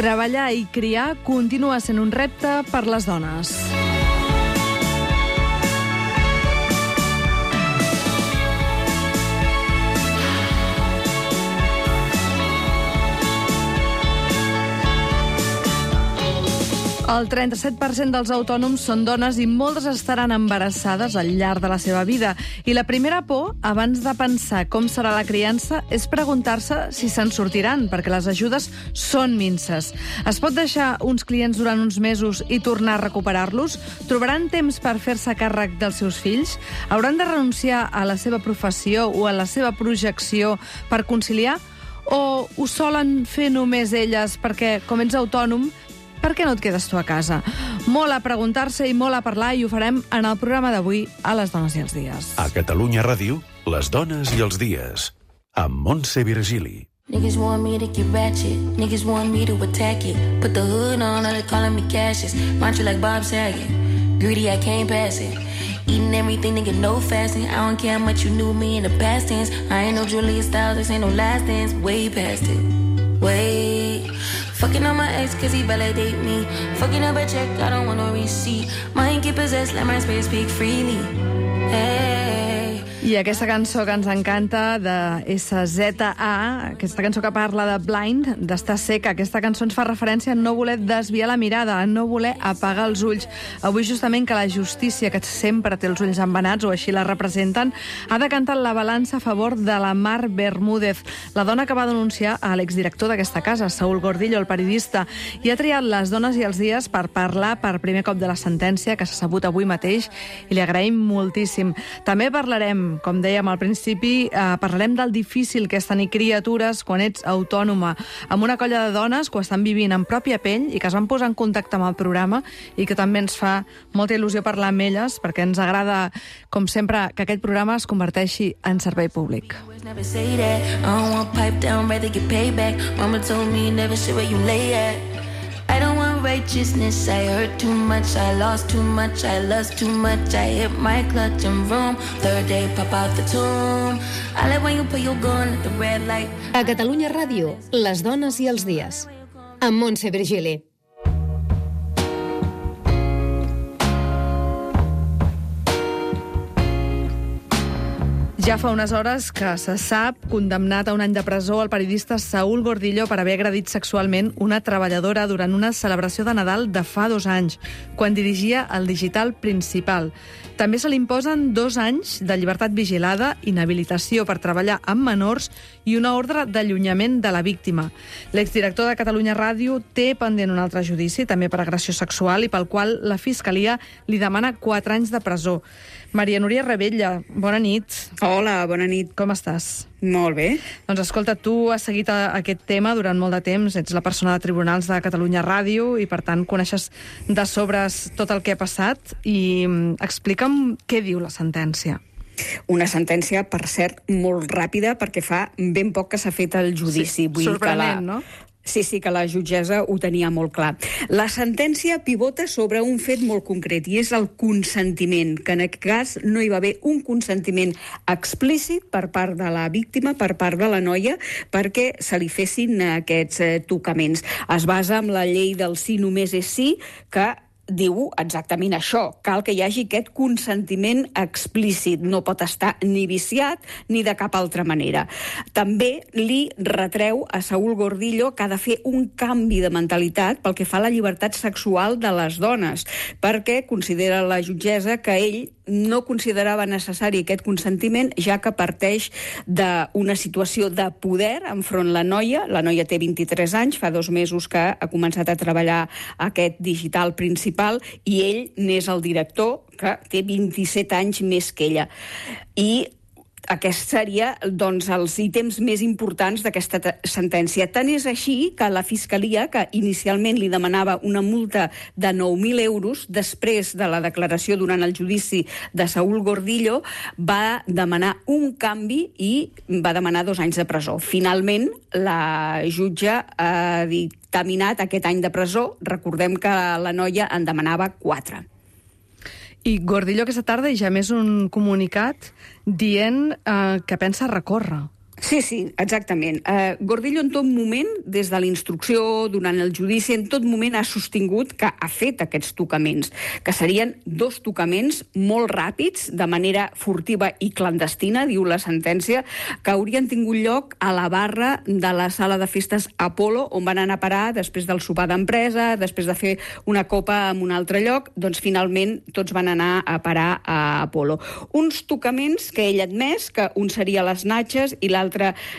Treballar i criar continua sent un repte per les dones. El 37% dels autònoms són dones i moltes estaran embarassades al llarg de la seva vida. I la primera por, abans de pensar com serà la criança, és preguntar-se si se'n sortiran, perquè les ajudes són minses. Es pot deixar uns clients durant uns mesos i tornar a recuperar-los? Trobaran temps per fer-se càrrec dels seus fills? Hauran de renunciar a la seva professió o a la seva projecció per conciliar? O ho solen fer només elles perquè, com ets autònom, per què no et quedes tu a casa? Molt a preguntar-se i molt a parlar, i ho farem en el programa d'avui a Les Dones i els Dies. A Catalunya Ràdio, Les Dones i els Dies, amb Montse Virgili. Niggas want me to get ratchet, niggas want me to attack it. Put the hood on, all they calling me Cassius. Mantra like Bob Saget, greedy I can't pass it. Eating everything, nigga, no fasting. I don't care how much you knew me in the past tense. I ain't no Julia Stiles, this ain't no last dance. Way past it, wait. Fucking on my ex cause he validate me. Fucking up a check, I don't want no receipt. Mind get possessed, let my spirit speak freely. Hey. I aquesta cançó que ens encanta, de SZA, aquesta cançó que parla de Blind, d'estar seca, aquesta cançó ens fa referència a no voler desviar la mirada, a no voler apagar els ulls. Avui, justament, que la justícia, que sempre té els ulls embenats, o així la representen, ha decantat la balança a favor de la Mar Bermúdez, la dona que va denunciar a l'exdirector d'aquesta casa, Saúl Gordillo, el periodista, i ha triat Les Dones i els Dies per parlar per primer cop de la sentència que s'ha sabut avui mateix, i li agraïm moltíssim. També parlarem, com dèiem al principi, parlarem del difícil que és tenir criatures quan ets autònoma, amb una colla de dones que ho estan vivint en pròpia pell i que es van posar en contacte amb el programa i que també ens fa molta il·lusió parlar amb elles, perquè ens agrada, com sempre, que aquest programa es converteixi en servei públic. Never say that, I don't want pipe down, rather get paid back. Mama told me never shit where you lay at. I don't want righteousness, I hurt too much, I lost too much, I lust too much, I hit my clutch and vroom. Third day, pop out the tomb. I like when you put your gun at the red light. A Catalunya Ràdio, Les Dones i els Dies, amb Montse Virgili. Ja fa unes hores que se sap condemnat a un any de presó el periodista Saúl Gordillo per haver agredit sexualment una treballadora durant una celebració de Nadal de fa 2 anys, quan dirigia el Digital Principal. També se li imposen 2 anys de llibertat vigilada, inhabilitació per treballar amb menors i una ordre d'allunyament de la víctima. L'exdirector de Catalunya Ràdio té pendent un altre judici, també per agressió sexual, i pel qual la Fiscalia li demana 4 anys de presó. Maria Núria Rebella, bona nit. Hola, bona nit. Com estàs? Molt bé. Doncs escolta, tu has seguit aquest tema durant molt de temps, ets la persona de Tribunals de Catalunya Ràdio i, per tant, coneixes de sobres tot el que ha passat, i explica'm què diu la sentència. Una sentència, per cert, molt ràpida, perquè fa ben poc que s'ha fet el judici. Sí, sorprenent, no? Sí, que la jutgessa ho tenia molt clar. La sentència pivota sobre un fet molt concret, i és el consentiment, que en aquest cas no hi va haver un consentiment explícit per part de la víctima, per part de la noia, perquè se li fessin aquests tocaments. Es basa en la llei del sí només és sí, que diu exactament això. Cal que hi hagi aquest consentiment explícit. No pot estar ni viciat ni de cap altra manera. També li retreu a Saúl Gordillo que ha de fer un canvi de mentalitat pel que fa a la llibertat sexual de les dones, perquè considera la jutgessa que ell no considerava necessari aquest consentiment, ja que parteix d'una situació de poder enfront la noia. La noia té 23 anys, fa 2 mesos que ha començat a treballar aquest Digital Principal, i ell n'és el director, que té 27 anys més que ella. I aquests serien, doncs, els ítems més importants d'aquesta sentència. Tant és així que la Fiscalia, que inicialment li demanava una multa de 9.000 euros, després de la declaració durant el judici de Saúl Gordillo, va demanar un canvi i va demanar 2 anys de presó. Finalment, la jutge ha dictaminat aquest any de presó. Recordem que la noia en demanava 4. I Gordillo aquesta tarda ja més un comunicat dient que pensa recórrer. Sí, exactament. Gordillo en tot moment, des de la instrucció, durant el judici, en tot moment ha sostingut que ha fet aquests tocaments, que serien 2 tocaments molt ràpids, de manera furtiva i clandestina, diu la sentència, que haurien tingut lloc a la barra de la sala de festes Apolo, on van anar a parar després del sopar d'empresa, després de fer una copa en un altre lloc, doncs finalment tots van anar a parar a Apolo. Uns tocaments que ell ha admès, que un seria a les natxes i l'altre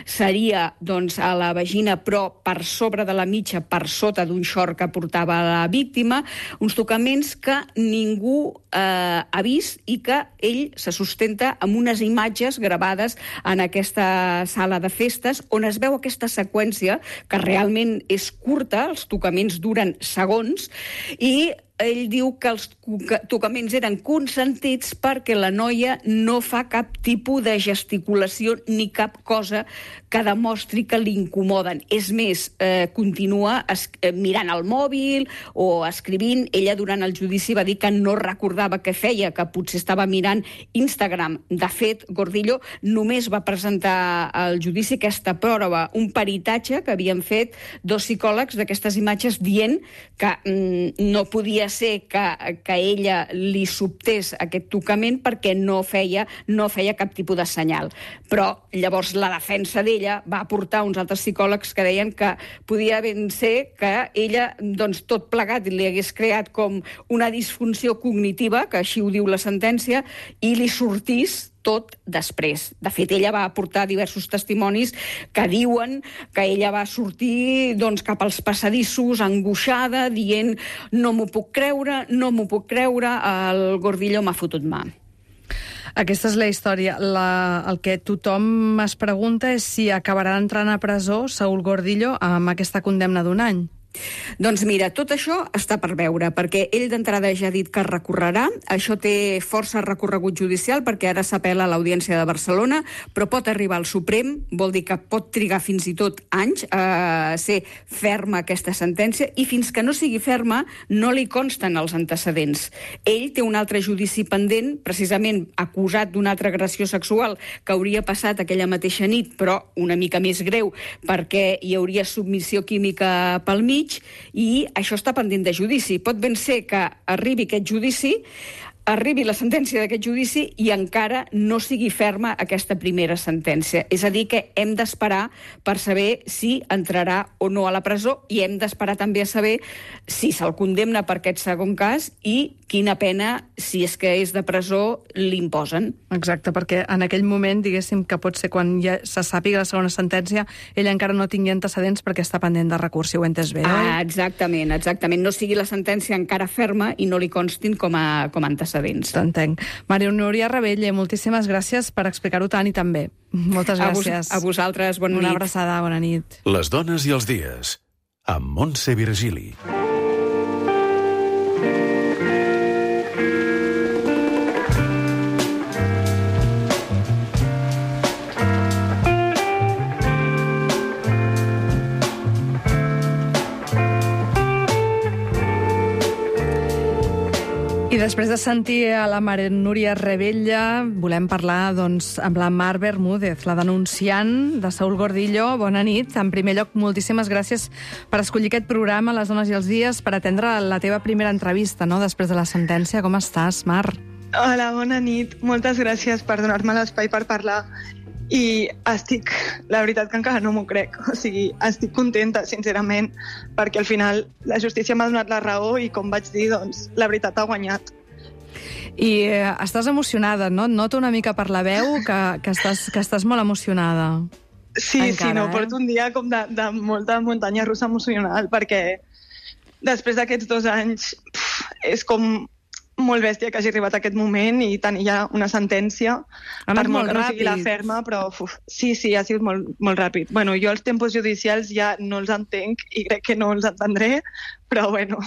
seria doncs, a la vagina, però per sobre de la mitja, per sota d'un xort que portava la víctima, uns tocaments que ningú ha vist i que ell se sustenta amb unes imatges gravades en aquesta sala de festes, on es veu aquesta seqüència, que realment és curta, els tocaments duren segons, i ell diu que els tocaments eren consentits perquè la noia no fa cap tipus de gesticulació ni cap cosa que demostri que l'incomoden. És més, continua mirant el mòbil o escrivint. Ella durant el judici va dir que no recordava què feia, que potser estava mirant Instagram. De fet, Gordillo només va presentar al judici aquesta prova, un peritatge que havien fet 2 psicòlegs d'aquestes imatges dient que no podia ser que ella li sobtés aquest tocament perquè no feia cap tipus de senyal. Però llavors la defensa d'ella va aportar uns altres psicòlegs que deien que podia ben ser que ella, doncs, tot plegat li hagués creat com una disfunció cognitiva, que així ho diu la sentència, i li sortís tot després. De fet, ella va aportar diversos testimonis que diuen que ella va sortir cap als passadissos angoixada, dient no m'ho puc creure, el Gordillo m'ha fotut mà. Aquesta és la història. El que tothom es pregunta és si acabarà entrant a presó Saúl Gordillo amb aquesta condemna d'1 any. Doncs mira, tot això està per veure, perquè ell d'entrada ja ha dit que recorrerà. Això té força recorregut judicial, perquè ara s'apel·la a l'Audiència de Barcelona, però pot arribar al Suprem, vol dir que pot trigar fins i tot anys a ser ferma aquesta sentència, i fins que no sigui ferma no li consten els antecedents. Ell té un altre judici pendent, precisament acusat d'una altra agressió sexual que hauria passat aquella mateixa nit, però una mica més greu, perquè hi hauria submissió química pel mig, i això està pendent de judici. Pot ben ser que arribi aquest judici, arribi la sentència d'aquest judici i encara no sigui ferma aquesta primera sentència. És a dir, que hem d'esperar per saber si entrarà o no a la presó, i hem d'esperar també a saber si se'l condemna per aquest segon cas i quina pena, si és que és de presó, li imposen. Exacte, perquè en aquell moment, diguéssim, que pot ser quan ja se sàpiga la segona sentència, ella encara no tingui antecedents perquè està pendent de recurs, si ho he entès bé, oi? Exactament. No sigui la sentència encara ferma i no li constin com a antecedents. T'entenc. Maria Núria Rebell, moltíssimes gràcies per explicar-ho tant i tan bé. Moltes gràcies. A vosaltres, bona nit. Una abraçada, bona nit. Les dones i els dies, amb Montse Virgili. I després de sentir a la Maria Núria Rebella, volem parlar amb la Mar Bermúdez, la denunciant de Saúl Gordillo. Bona nit. En primer lloc, moltíssimes gràcies per escollir aquest programa, Les dones i els dies, per atendre la teva primera entrevista, no?, després de la sentència. Com estàs, Mar? Hola, bona nit. Moltes gràcies per donar-me l'espai per parlar. I la veritat que encara no m'ho crec, o sigui, estic contenta, sincerament, perquè al final la justícia m'ha donat la raó i, com vaig dir, doncs, la veritat ha guanyat. I estàs emocionada, no? Et noto una mica per la veu que estàs molt emocionada. Sí, encara, porto un dia com de molta muntanya russa emocional, perquè després d'aquests 2 anys és com molt bèstia que hagi arribat a aquest moment i tenir ja una sentència, per molt que no sigui la ferma, però sí, ha sigut molt ràpid. Bueno, jo els tempos judicials ja no els entenc i crec que no els entendré, però bueno,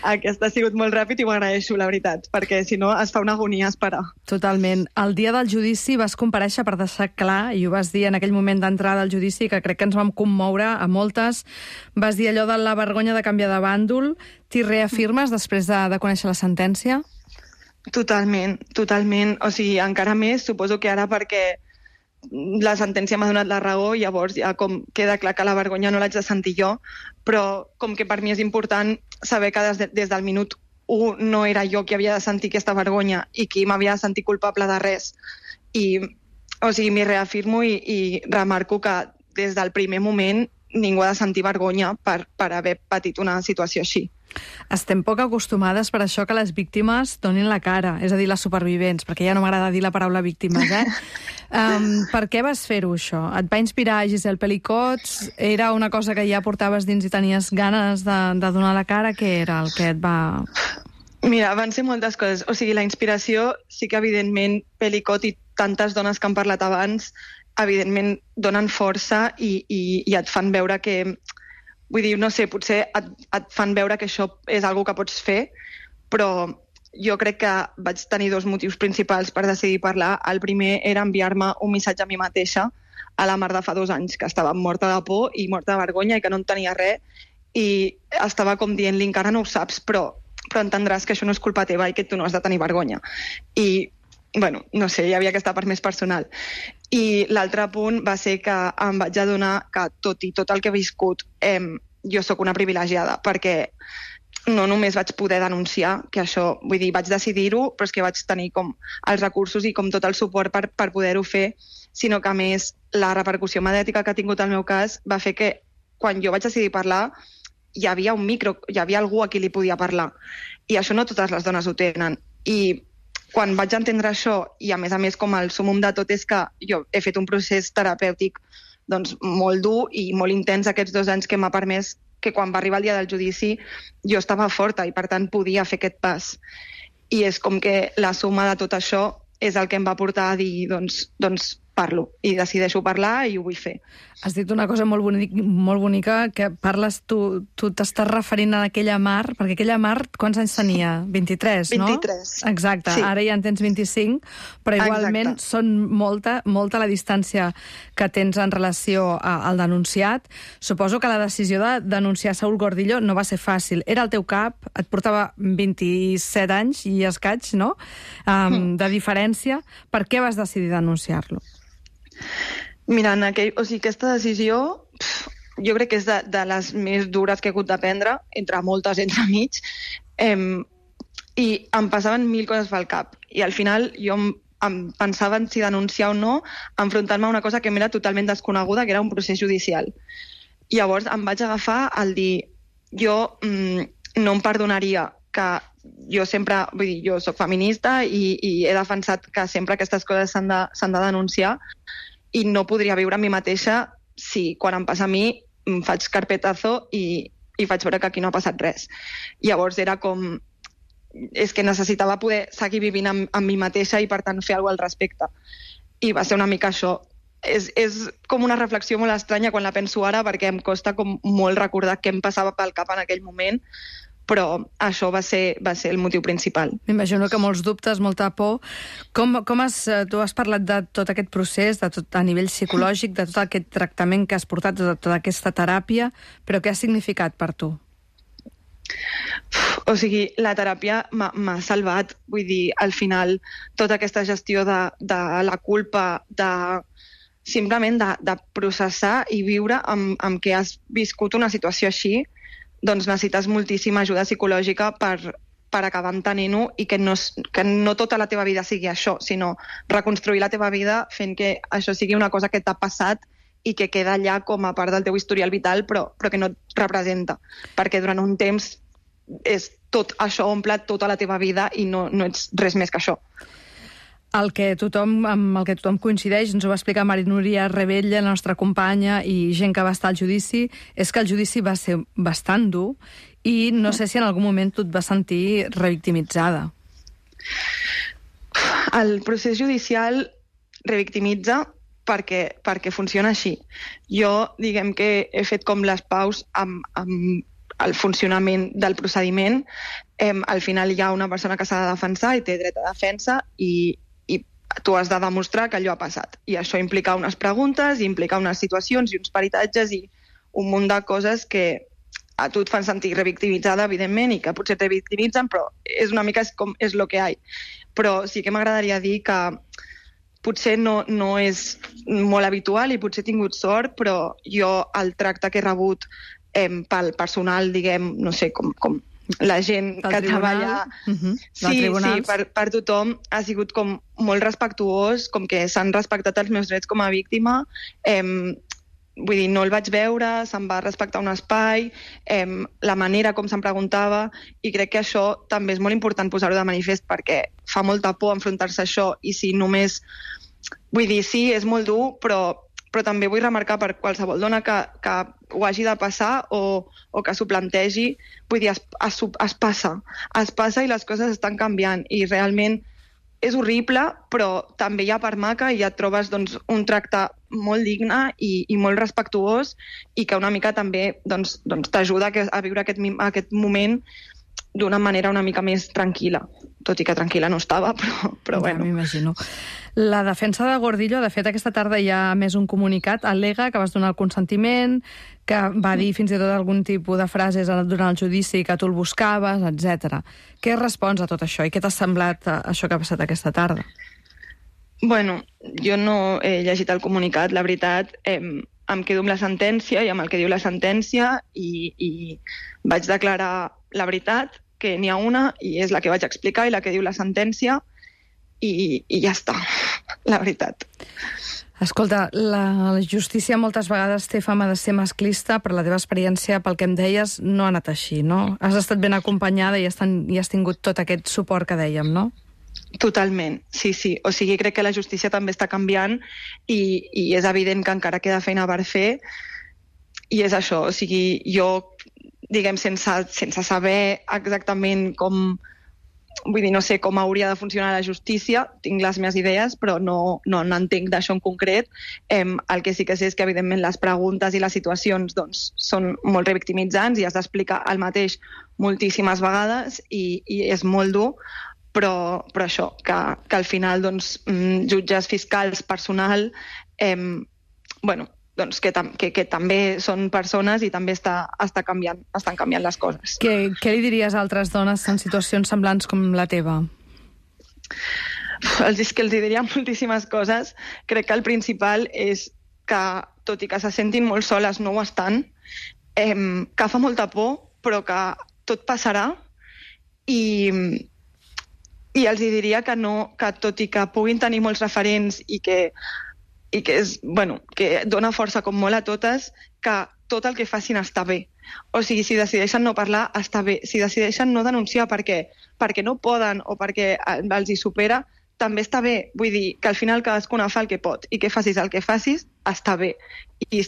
aquest ha sigut molt ràpid i ho agraeixo, la veritat, perquè si no es fa una agonia esperar. Totalment. El dia del judici vas comparèixer per deixar clar, i ho vas dir en aquell moment d'entrada al judici, que crec que ens vam commoure a moltes, vas dir allò de la vergonya de canviar de bàndol. T'hi reafirmes després de conèixer la sentència? Totalment. O sigui, encara més, suposo que ara perquè la sentència m'ha donat la raó, llavors ja com queda clar que la vergonya no l'haig de sentir jo, però com que per mi és important saber que des del minut 1 no era jo qui havia de sentir aquesta vergonya i qui m'havia de sentir culpable de res. O sigui, m'hi reafirmo i remarco que des del primer moment ningú ha de sentir vergonya per haver patit una situació així. Estem poc acostumades per això que les víctimes donin la cara, és a dir, les supervivents, perquè ja no m'agrada dir la paraula víctimes, Per què vas fer-ho, això? Et va inspirar Giselle Pellicots? Era una cosa que ja portaves dins i tenies ganes de donar la cara? Què era el que et va... Mira, van ser moltes coses. O sigui, la inspiració sí que, evidentment, Pellicot i tantes dones que han parlat abans, evidentment, donen força i et fan veure que... Vull dir, no sé, potser et fan veure que això és una cosa que pots fer, però jo crec que vaig tenir 2 motius principals per decidir parlar. El primer era enviar-me un missatge a mi mateixa a la Mar de fa 2 anys, que estava morta de por i morta de vergonya i que no en tenia res, i estava com dient-li, encara no ho saps, però entendràs que això no és culpa teva i que tu no has de tenir vergonya. I, bueno, no sé, hi havia aquesta part més personal. I l'altre punt va ser que em vaig adonar que tot el que he viscut, jo sóc una privilegiada, perquè no només vaig poder denunciar, que això, vull dir, vaig decidir-ho, però és que vaig tenir com els recursos i com tot el suport per poder-ho fer, sinó que, a més, la repercussió mediàtica que ha tingut el meu cas va fer que, quan jo vaig decidir parlar, hi havia un micro, hi havia algú a qui li podia parlar. I això no totes les dones ho tenen. I quan vaig entendre això, i a més com el súmmum de tot és que jo he fet un procés terapèutic doncs, molt dur i molt intens aquests 2 anys, que m'ha permès que quan va arribar el dia del judici jo estava forta i per tant podia fer aquest pas. I és com que la suma de tot això és el que em va portar a dir doncs parlo i decideixo parlar i ho vull fer. Has dit una cosa molt bonica, que parles, tu t'estàs referint a aquella Mar, perquè aquella Mar, quants anys tenia? 23, no? 23. Exacte, sí. Ara ja en tens 25, però igualment són molta la distància que tens en relació al denunciat. Suposo que la decisió de denunciar Saúl Gordillo no va ser fàcil. Era el teu cap, et portava 27 anys i escaig, no? De diferència. Per què vas decidir denunciar-lo? Mira, aquesta decisió jo crec que és de les més dures que he hagut de prendre, entre moltes entremig, i em passaven 1000 coses pel cap. I al final jo em pensava en si denunciar o no, enfrontar-me a una cosa que m'era totalment desconeguda, que era un procés judicial. I llavors em vaig agafar al dir, jo no em perdonaria que jo sempre, vull dir, jo soc feminista i he defensat que sempre aquestes coses s'han de denunciar, i no podria viure a mi mateixa si quan em passa a mi em faig carpetazo i faig veure que aquí no ha passat res. Llavors era com... És que necessitava poder seguir vivint amb mi mateixa i per tant fer alguna cosa al respecte. I va ser una mica això. És com una reflexió molt estranya quan la penso ara, perquè em costa com molt recordar què em passava pel cap en aquell moment, però això va ser el motiu principal. M'imagino que molts dubtes, molta por. Tu has parlat de tot aquest procés, de tot a nivell psicològic, de tot aquest tractament que has portat, de tota aquesta teràpia, però què ha significat per tu? O sigui, la teràpia m'ha salvat. Vull dir, al final, tota aquesta gestió de la culpa, simplement de processar i viure amb què has viscut una situació així, doncs necessites moltíssima ajuda psicològica per acabar entenent-ho i que no tota la teva vida sigui això, sinó reconstruir la teva vida fent que això sigui una cosa que t'ha passat i que queda allà com a part del teu historial vital, però que no et representa, perquè durant un temps tot això omple tota la teva vida i no ets res més que això. Amb el que tothom coincideix, ens ho va explicar Maria Rebella, la nostra companya, i gent que va estar al judici, és que el judici va ser bastant dur i no sé si en algun moment tu et vas sentir revictimitzada. El procés judicial revictimitza perquè funciona així. Jo, diguem que he fet com les paus amb el funcionament del procediment. Al final hi ha una persona que s'ha de defensar i té dret a defensa i tu has de demostrar que allò ha passat. I això implica unes preguntes, implica unes situacions i uns peritatges i un munt de coses que a tu et fan sentir revictimitzada, evidentment, i que potser te victimitzen, però és una mica és lo que hi ha. Però sí que m'agradaria dir que potser no és molt habitual i potser he tingut sort, però jo el tracte que he rebut pel personal, diguem, no sé, com la gent que treballa... Sí, per tothom ha sigut com molt respectuós, com que s'han respectat els meus drets com a víctima. Vull dir, no el vaig veure, se'm va respectar un espai, la manera com se'm preguntava, i crec que això també és molt important posar-ho de manifest perquè fa molta por enfrontar-se a això, i si només... Vull dir, sí, és molt dur, però també vull remarcar per qualsevol dona que ho hagi de passar o que s'ho plantegi, vull dir, es passa i les coses estan canviant, i realment és horrible, però també hi ha part maca i ja et trobes doncs, un tracte molt digne i molt respectuós, i que una mica també t'ajuda a viure aquest moment d'una manera una mica més tranquil·la, tot i que tranquil·la no estava, però bueno. Ja m'imagino. La defensa de Gordillo, de fet, aquesta tarda hi ha més un comunicat, al·lega que vas donar el consentiment, que va dir fins i tot algun tipus de frases durant el judici que tu el buscaves, etc. Què respons a tot això i què t'ha semblat això que ha passat aquesta tarda? Bueno, jo no he llegit el comunicat, la veritat, em quedo amb la sentència i amb el que diu la sentència i vaig declarar la veritat, que n'hi ha una i és la que vaig explicar i la que diu la sentència, i ja està, la veritat. Escolta, la justícia moltes vegades té fama de ser masclista, però la teva experiència, pel que em deies, no ha anat així, no? Has estat ben acompanyada i has tingut tot aquest suport que dèiem, no? Totalment, sí. O sigui, crec que la justícia també està canviant i és evident que encara queda feina per fer, i és això, o sigui, jo, diguem, sense saber exactament com... Vull dir, no sé com hauria de funcionar la justícia, tinc les meves idees, però no n'entenc d'això en concret. El que sí que sé és que, evidentment, les preguntes i les situacions doncs, són molt revictimitzants i has d'explicar el mateix moltíssimes vegades i és molt dur, però això, que al final doncs, jutges, fiscals, personal, doncs que també són persones i també estan canviant les coses. Què li diries a altres dones en situacions semblants com la teva? Els diria moltíssimes coses. Crec que el principal és que, tot i que se sentin molt soles, no ho estan, que fa molta por, però que tot passarà, i els diria que tot i que puguin tenir molts referents i que dona força com molt a totes, que tot el que facin està bé. O sigui, si decideixen no parlar, està bé. Si decideixen no denunciar perquè no poden o perquè els hi supera, també està bé. Vull dir que al final cadascuna fa el que pot i que facis el que facis, està bé. I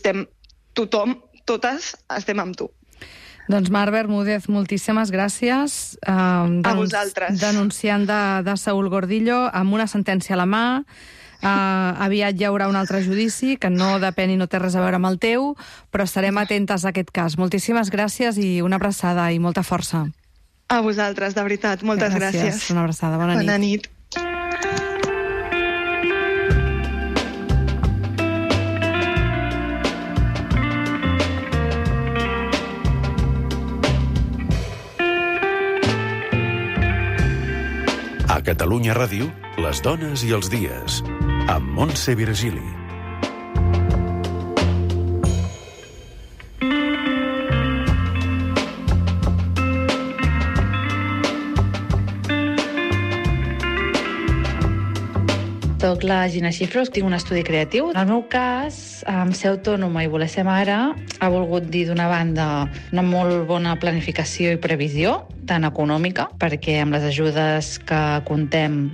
totes estem amb tu. Doncs Mar Bermúdez, moltíssimes gràcies. A vosaltres. Denunciant de Saúl Gordillo, amb una sentència a la mà. Aviat hi haurà un altre judici que no depèn i no té res a veure amb el teu, però estarem atentes a aquest cas. Moltíssimes gràcies i una abraçada i molta força. A vosaltres, de veritat. Moltes gràcies. Una abraçada. Bona nit. Bona nit. A Catalunya Ràdio, les dones i els dies, amb Montse Virgili. Soc la Gina Xifros, tinc un estudi creatiu. En el meu cas, ser autònoma i voler ser mare ha volgut dir, d'una banda, una molt bona planificació i previsió, tant econòmica, perquè amb les ajudes que contem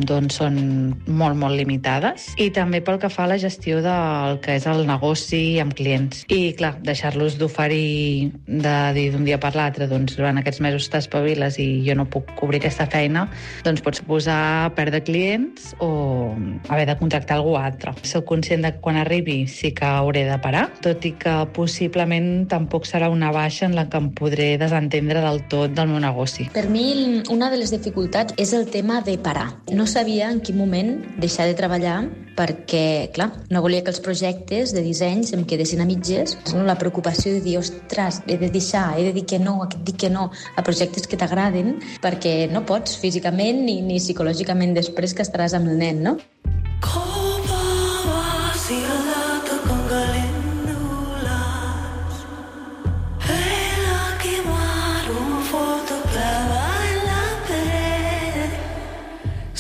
doncs són molt, molt limitades, i també pel que fa a la gestió del que és el negoci amb clients. I, clar, deixar-los d'oferir, de dir d'un dia per l'altre, doncs durant aquests mesos t'espaviles i jo no puc cobrir aquesta feina, doncs pot suposar perdre clients o haver de contractar algú altre. Soc conscient que quan arribi sí que hauré de parar, tot i que possiblement tampoc serà una baixa en la que em podré desentendre del tot del meu negoci. Per mi, una de les dificultats és el tema de parar. No sabia en quin moment deixar de treballar perquè, clar, no volia que els projectes de dissenys em quedessin a mitges. La preocupació de dir, ostres, he de deixar, he de dir que no a projectes que t'agraden, perquè no pots físicament ni psicològicament després que estaràs amb el nen, no?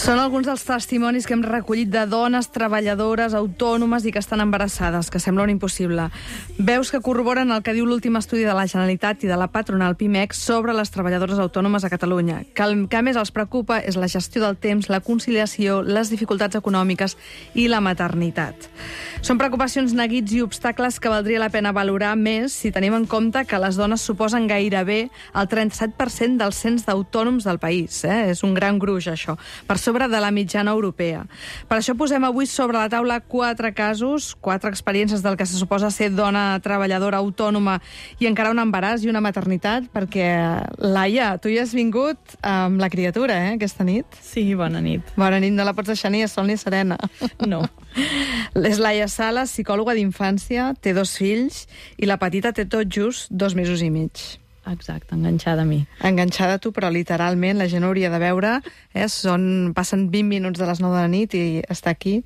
Són alguns dels testimonis que hem recollit de dones treballadores, autònomes i que estan embarassades, que sembla un impossible. Veus que corroboren el que diu l'últim estudi de la Generalitat i de la patronal PIMEC sobre les treballadores autònomes a Catalunya. Que el que més els preocupa és la gestió del temps, la conciliació, les dificultats econòmiques i la maternitat. Són preocupacions, neguits i obstacles que valdria la pena valorar més si tenim en compte que les dones suposen gairebé el 37% del cens d'autònoms del país. És un gran gruix, això, per sobre de la mitjana europea. Per això posem avui sobre la taula 4 casos, 4 experiències del que se suposa ser dona treballadora autònoma i encara un embaràs i una maternitat, perquè, Laia, tu hi has vingut amb la criatura, aquesta nit? Sí, bona nit. Bona nit, no la pots deixar ni a sol ni serena. No. És Laia Sales, psicòloga d'infància, té 2 fills i la petita té tot just 2 mesos i mig. Exacte, enganxada a mi. Enganxada a tu, però literalment la gent hauria de veure, passen 20 minuts de les 9 de la nit i està aquí.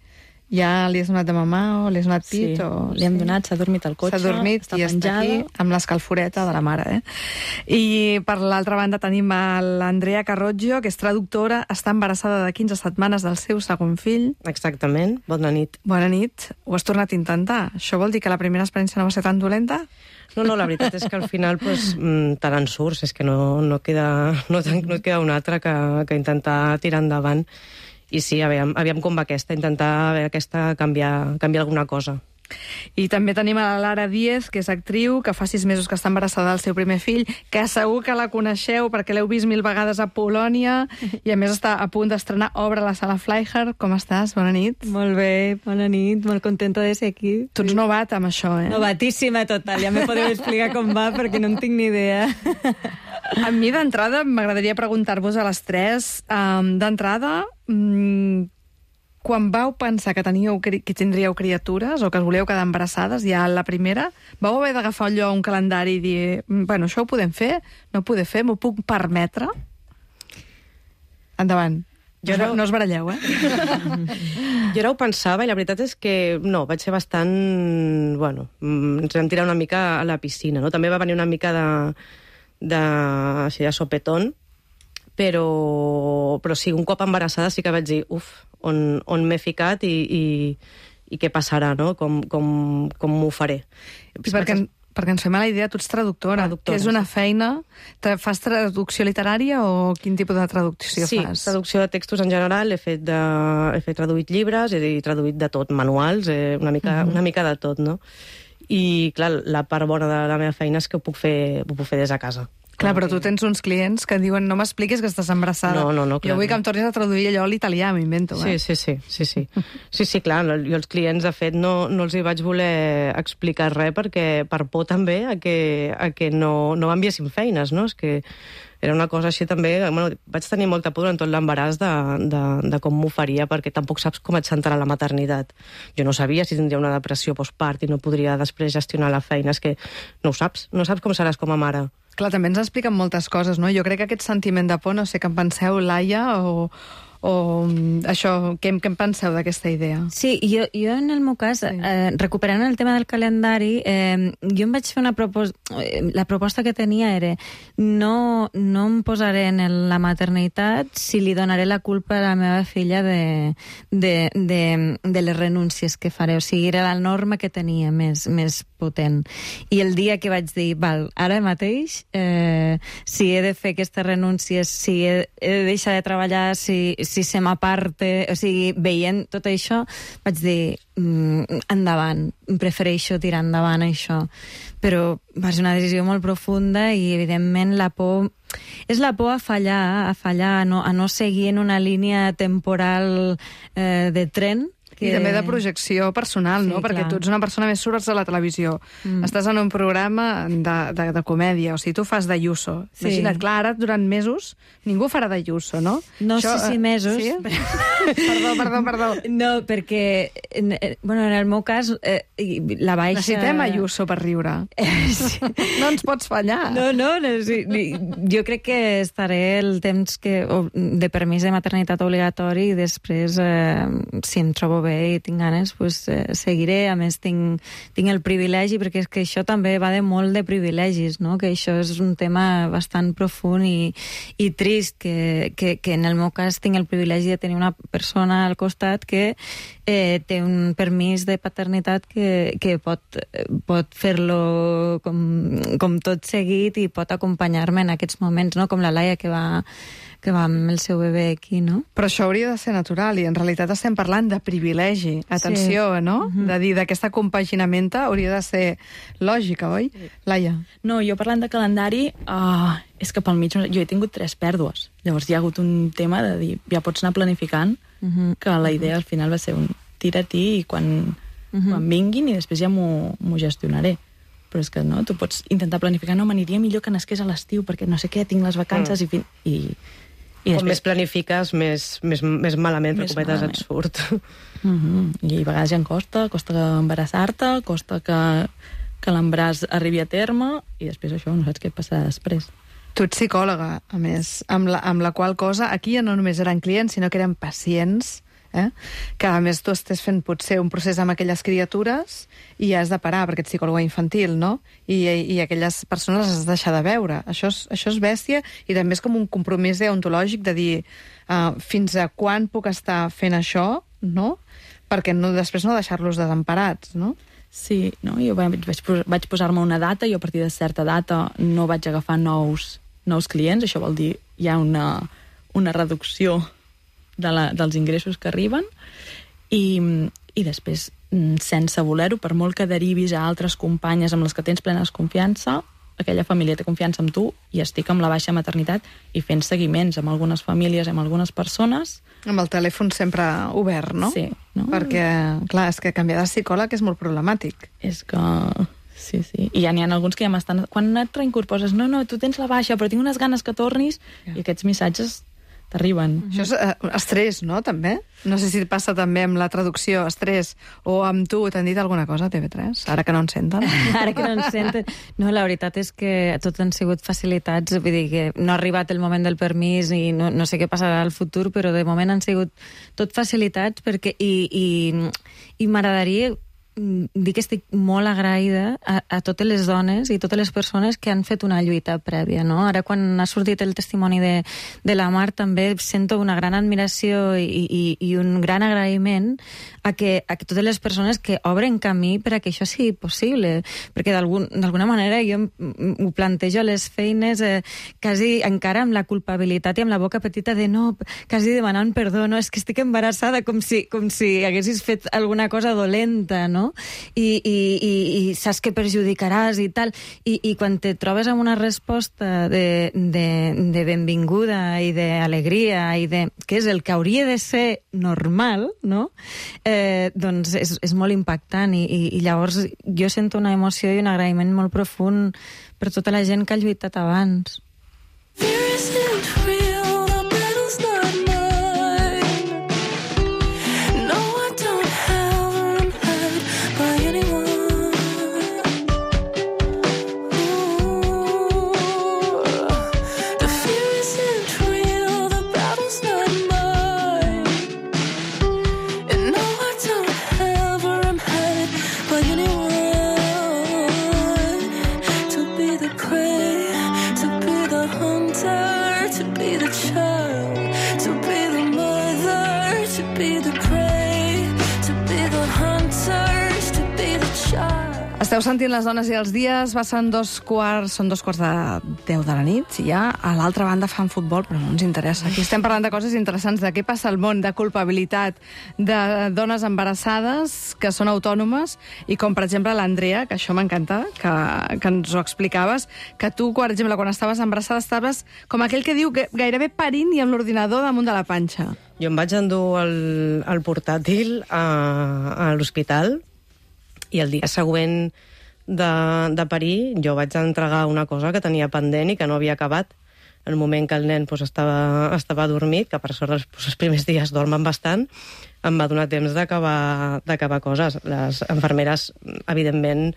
Ja li has donat de mamar o li has donat pit? Sí, li hem donat, s'ha dormit al cotxe, s'ha dormit està i penjada. Està aquí amb l'escalforeta de la mare. I per l'altra banda tenim l'Andrea Carroggio, que és traductora, està embarassada de 15 setmanes del seu segon fill. Exactament, bona nit. Bona nit. Ho has tornat a intentar. Això vol dir que la primera experiència no va ser tan dolenta? No, la veritat és que al final te n'en surts, és que no queda una altra que intentar tirar endavant. I sí, aviam com va aquesta, intentar canviar alguna cosa. I també tenim a la Lara Díez, que és actriu, que fa 6 mesos que està embarassada del seu primer fill, que segur que la coneixeu perquè l'heu vist 1000 vegades a Polònia i a més està a punt d'estrenar Obra a la Sala Flyher. Com estàs? Bona nit. Molt bé, bona nit, molt contenta de ser aquí. Tu ets novata amb això, Novatíssima total, ja me podeu explicar com va perquè no en tinc ni idea. A mi, d'entrada, m'agradaria preguntar-vos a les 3, d'entrada, quan vau pensar que tindríeu criatures o que us volíeu quedar embarassades, ja la primera, vau haver d'agafar allò un calendari i dir, bueno, això ho podem fer, no ho podem fer, m'ho puc permetre? Endavant. No us baralleu, Jo ara ho pensava i la veritat és que no, vaig ser bastant... Bueno, ens vam tirar una mica a la piscina, no? També va venir una mica de sopetón, però sí, un cop embarassada sí que vaig dir, on m'he ficat i què passarà, no? Com m'ho faré. Perquè ens fem a la idea, tu ets traductora, que és una feina... Fas traducció literària o quin tipus de traducció fas? Sí, traducció de textos en general, he traduït llibres, he traduït de tot, manuals, una mica de tot, no? I, clar, la part bona de la meva feina és que ho puc fer des de casa. Clar, però tu tens uns clients que diuen no m'expliquis que estàs embarassada. No, clar. Jo vull que em tornis a traduir allò a l'italià, m'invento. Sí. Sí, clar, jo els clients, de fet, no els hi vaig voler explicar res per por també a que no m'enviessin feines, no? És que era una cosa així també... Bueno, vaig tenir molta por durant tot l'embaràs de com m'ho faria, perquè tampoc saps com et sentarà la maternitat. Jo no sabia si tindria una depressió postpart i no podria després gestionar la feina. És que no ho saps com seràs com a mare. Clar, també ens expliquen moltes coses, no? Jo crec que aquest sentiment de por, no sé què en penseu, Laia, o això, què en penseu d'aquesta idea? Sí, jo en el meu cas, recuperant el tema del calendari, jo em vaig fer una proposta... La proposta que tenia era no em posaré en la maternitat si li donaré la culpa a la meva filla de les renúncies que faré. O sigui, era la norma que tenia més potent. I el dia que vaig dir, ara mateix, si he de fer aquestes renúncies, si he de deixar de treballar, si se m'aparte, o sigui, veient tot això, vaig dir, endavant, prefereixo tirar endavant això. Però va ser una decisió molt profunda i, evidentment, la por... És la por a fallar, a no seguir en una línia temporal de tren. I també de projecció personal, no? Perquè tu ets una persona més surts a la televisió. Estàs en un programa de comèdia, o sigui, tu fas d'Ayuso. Imagina't, clar, ara durant mesos ningú farà d'Ayuso, no? No sé si mesos. Sí? Perdó. No, perquè, bueno, en el meu cas, la baixa... Necessitem Ayuso per riure. No ens pots fallar. No, jo crec que estaré el temps de permís de maternitat obligatori i després, si em trobo bé i tinc ganes, seguiré. A més, tinc el privilegi, perquè és que això també va de molt de privilegis, no? Que això és un tema bastant profund i trist, que en el meu cas tinc el privilegi de tenir una persona al costat que té un permís de paternitat que pot fer-lo com tot seguit i pot acompanyar-me en aquests moments, no? Com la Laia, que va amb el seu bebè aquí, no? Però això hauria de ser natural, i en realitat estem parlant de privilegi. Atenció, sí. No? De dir, d'aquesta compaginamenta hauria de ser lògica, oi? Laia? No, jo parlant de calendari, és que pel mig jo he tingut 3 pèrdues. Llavors hi ha hagut un tema de dir, ja pots anar planificant, que la idea al final va ser un tira-t'hi i quan vinguin i després ja m'ho gestionaré. Però és que no, tu pots intentar planificar, no, m'aniria millor que nasqués a l'estiu, perquè no sé què, tinc les vacances i després... Com més planifiques, més malament, per cometes, et surt. I a vegades ja costa embarassar-te, costa que l'embaràs arribi a terme, i després això, no saps què passarà després. Tu ets psicòloga, a més, amb la qual cosa, aquí ja no només eren clients, sinó que eren pacients, que a més tu estés fent potser un procés amb aquelles criatures i has de parar, perquè ets psicòloga infantil, no? I aquelles persones les has de deixar de veure. Això és bèstia, i també és com un compromís deontològic de dir fins a quan puc estar fent això, no? Perquè després no deixar-los desemparats, no? Sí, no? Jo vaig posar-me una data i a partir de certa data no vaig agafar nous clients. Això vol dir hi ha una reducció dels ingressos que arriben i després, sense voler-ho, per molt que derivis a altres companyes amb les que tens plenes confiança, aquella família té confiança en tu i estic amb la baixa maternitat i fent seguiments amb algunes famílies, amb algunes persones. Amb el telèfon sempre obert, no? Sí. No? Perquè, clar, és que canviar de psicòleg és molt problemàtic. És que... Sí. I ja n'hi ha alguns que ja m'estan... Quan et reincorpores, no, tu tens la baixa, però tinc unes ganes que tornis, i aquests missatges t'arriben. Això és estrès, no?, també? No sé si passa també amb la traducció, estrès, o amb tu, t'han dit alguna cosa, TV3? Ara que no ens senten. Ara que no ens senten. No, la veritat és que tot han sigut facilitats, vull dir que no ha arribat el moment del permís i no sé què passarà al futur, però de moment han sigut tot facilitats perquè i m'agradaria dir que estic molt agraïda a totes les dones i totes les persones que han fet una lluita prèvia, no? Ara, quan ha sortit el testimoni de la Mar, també sento una gran admiració i un gran agraïment a totes les persones que obren camí per a que això sigui possible, perquè d'alguna manera jo ho plantejo a les feines quasi encara amb la culpabilitat i amb la boca petita de no, quasi demanant perdó, no, és que estic embarassada, com si haguessis fet alguna cosa dolenta, no? I saps que perjudicaràs i tal, i quan te trobes amb una resposta de benvinguda i d'alegria i que és el que hauria de ser normal, no? Doncs és molt impactant i llavors jo sento una emoció i un agraïment molt profund per tota la gent que ha lluitat abans. Esteu sentint Les dones i els dies, són 2:15 de la nit, i ja a l'altra banda fan futbol, però no ens interessa. Aquí estem parlant de coses interessants, de què passa al món, de culpabilitat, de dones embarassades que són autònomes, i com, per exemple, l'Andrea, que això m'encanta, que ens ho explicaves, que tu, per exemple, quan estaves embarassada, estaves com aquell que diu que gairebé parint i amb l'ordinador damunt de la panxa. Jo em vaig endur el portàtil a l'hospital, i el dia següent de parir jo vaig entregar una cosa que tenia pendent i que no havia acabat. En el moment que el nen estava adormit, que per sort els primers dies dormen bastant, em va donar temps d'acabar coses. Les infermeres, evidentment,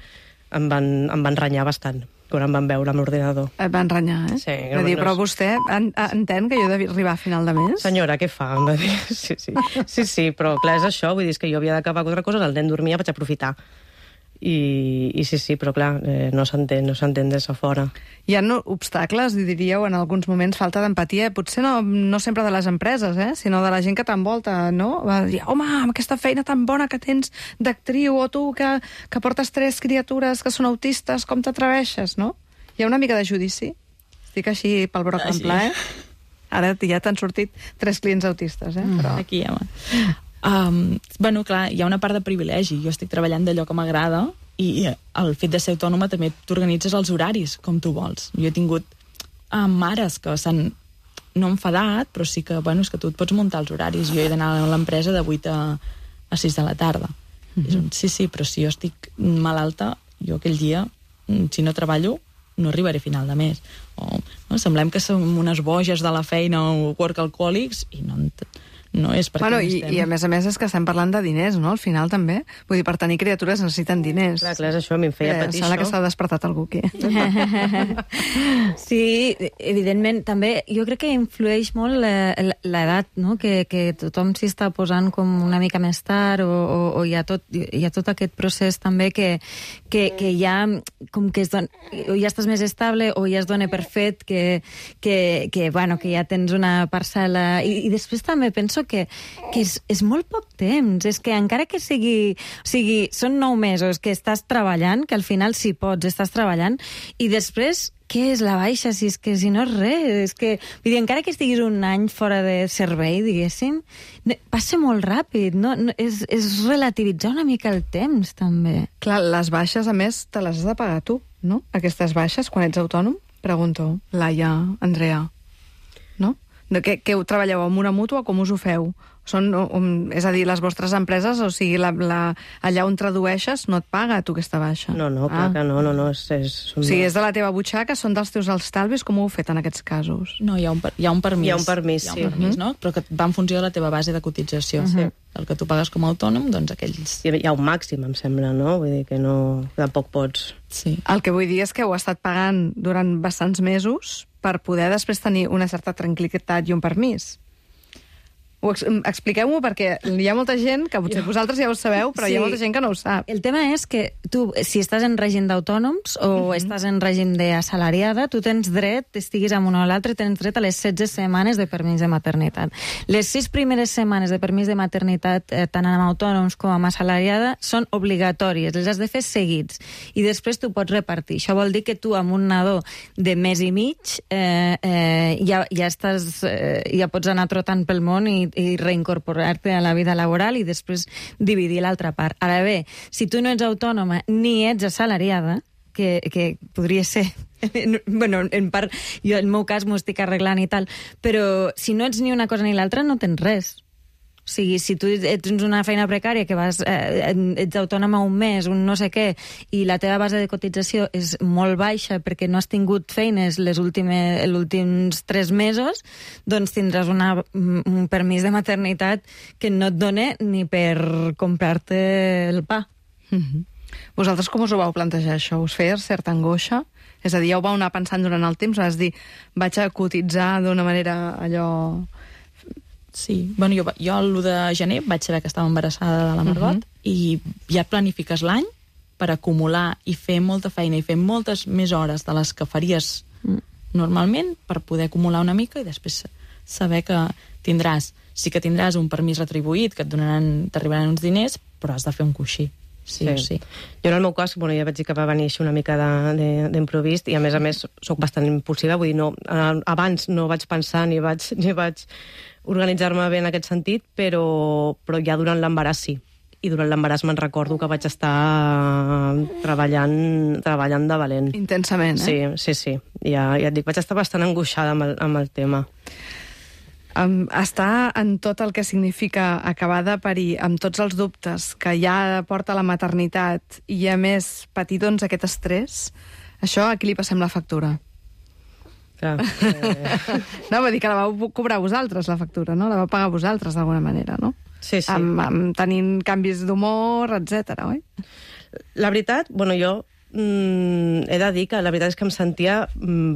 em van renyar bastant. quan em van veure amb l'ordinador. Et van renyar, eh? Sí. Va dir, però vostè entén que jo he d'arribar a final de mes? Senyora, què fa? Em va dir. Sí, però clar, és això, vull dir, és que jo havia d'acabar quatre coses, el nen dormia, vaig aprofitar. I sí, però clar, no s'entén des de fora. Hi ha obstacles, diríeu, en alguns moments, falta d'empatia, potser no sempre de les empreses, sinó de la gent que t'envolta, no? Va dir, home, amb aquesta feina tan bona que tens d'actriu, o tu que portes 3 criatures que són autistes, com t'atreveixes, no? Hi ha una mica de judici? Estic així pel broc en pla, Ara ja t'han sortit 3 clients autistes, Però... Aquí, home. Bueno, clar, hi ha una part de privilegi. Jo estic treballant d'allò que m'agrada i el fet de ser autònoma també t'organitzes els horaris com tu vols. Jo he tingut mares que s'han no enfadat, però sí que, bueno, és que tu et pots muntar els horaris. Jo he d'anar a l'empresa de 8 a 6 de la tarda. Sí, però si jo estic malalta, jo aquell dia, si no treballo, no arribaré a final de mes. Semblem que som unes boges de la feina o workaholics i no és perquè I a més és que estem parlant de diners, no? Al final també. Vull dir, per tenir criatures necessiten diners. Clar, és això, a mi em feia patir sembla que s'ha despertat algú aquí. Sí, evidentment, també jo crec que influeix molt l'edat, no? Que tothom s'hi està posant com una mica més tard o hi ha tot aquest procés també que ja com que o ja estàs més estable o ja es dona per fet que ja tens una parcel·la i després també penso que és molt poc temps, és que encara que sigui són 9 mesos que estàs treballant, que al final si pots estàs treballant, i després què és la baixa? Si no és res, vull dir, encara que estiguis un any fora de servei, diguéssim, passa molt ràpid, no? És relativitzar una mica el temps, també. Clar, les baixes, a més, te les has de pagar tu, no? Aquestes baixes, quan ets autònom? Pregunto, Laia, Andrea, no? Què treballeu amb una mútua, com us ho feu? És a dir, les vostres empreses, o sigui, allà on tradueixes no et paga tu aquesta baixa. No, clar que no. O sigui, és de la teva butxaca, són dels teus estalvis, com ho heu fet en aquests casos? No, hi ha un permís. Hi ha un permís, no? Però que va en funció de la teva base de cotització. El que tu pagues com a autònom, doncs aquells... Hi ha un màxim, em sembla, no? Vull dir que tampoc pots... Sí. El que vull dir és que heu estat pagant durant bastants mesos per poder després tenir una certa tranquil·litat i un permís. Expliqueu-m'ho, perquè hi ha molta gent que potser vosaltres ja ho sabeu, però hi ha molta gent que no ho sap. El tema és que tu, si estàs en règim d'autònoms o estàs en règim d'assalariada, tu tens dret, estiguis amb un o l'altre, tens dret a les 16 setmanes de permís de maternitat. Les 6 primeres setmanes de permís de maternitat, tant amb autònoms com amb assalariada, són obligatòries, les has de fer seguits, i després tu pots repartir. Això vol dir que tu, amb un nadó de mes i mig, ja pots anar trotant pel món i reincorporar-te a la vida laboral i després dividir l'altra part. Ara bé, si tu no ets autònoma ni ets assalariada, que podria ser... Bueno, en part, jo en el meu cas m'ho estic arreglant i tal, però si no ets ni una cosa ni l'altra no tens res. O sigui, si tu tens una feina precària que ets autònoma un mes, un no sé què, i la teva base de cotització és molt baixa perquè no has tingut feines els últims 3 mesos, doncs tindràs un permís de maternitat que no et dona ni per comprar-te el pa. Vosaltres com us ho vau plantejar, això? Us feia certa angoixa? És a dir, ja ho vau anar pensant durant el temps? Vas dir, vaig a cotitzar d'una manera allò... Sí, bueno, jo l'1 de gener vaig saber que estava embarassada de la Margot i ja planifiques l'any per acumular i fer molta feina i fer moltes més hores de les que faries normalment per poder acumular una mica i després saber que sí que tindràs un permís retribuït, que t'arribaran uns diners, però has de fer un coixí. Sí. Jo en el meu cas, ja vaig dir que va venir així una mica d'improvist i a més soc bastant impulsiva, vull dir, abans no vaig pensar ni vaig organitzar-me bé en aquest sentit, però ja durant l'embaràs sí. I durant l'embaràs me'n recordo que vaig estar treballant de valent. Intensament, Sí. Ja et dic, vaig estar bastant angoixada amb el tema. Estar en tot el que significa acabar de parir, amb tots els dubtes que ja porta la maternitat i, a més, patir doncs aquest estrès, això a qui li passem la factura? No, vull dir que la vau cobrar vosaltres, la factura, no? La vau pagar vosaltres, d'alguna manera, no? Sí. Tenint canvis d'humor, etc. oi? La veritat, jo he de dir que la veritat és que em sentia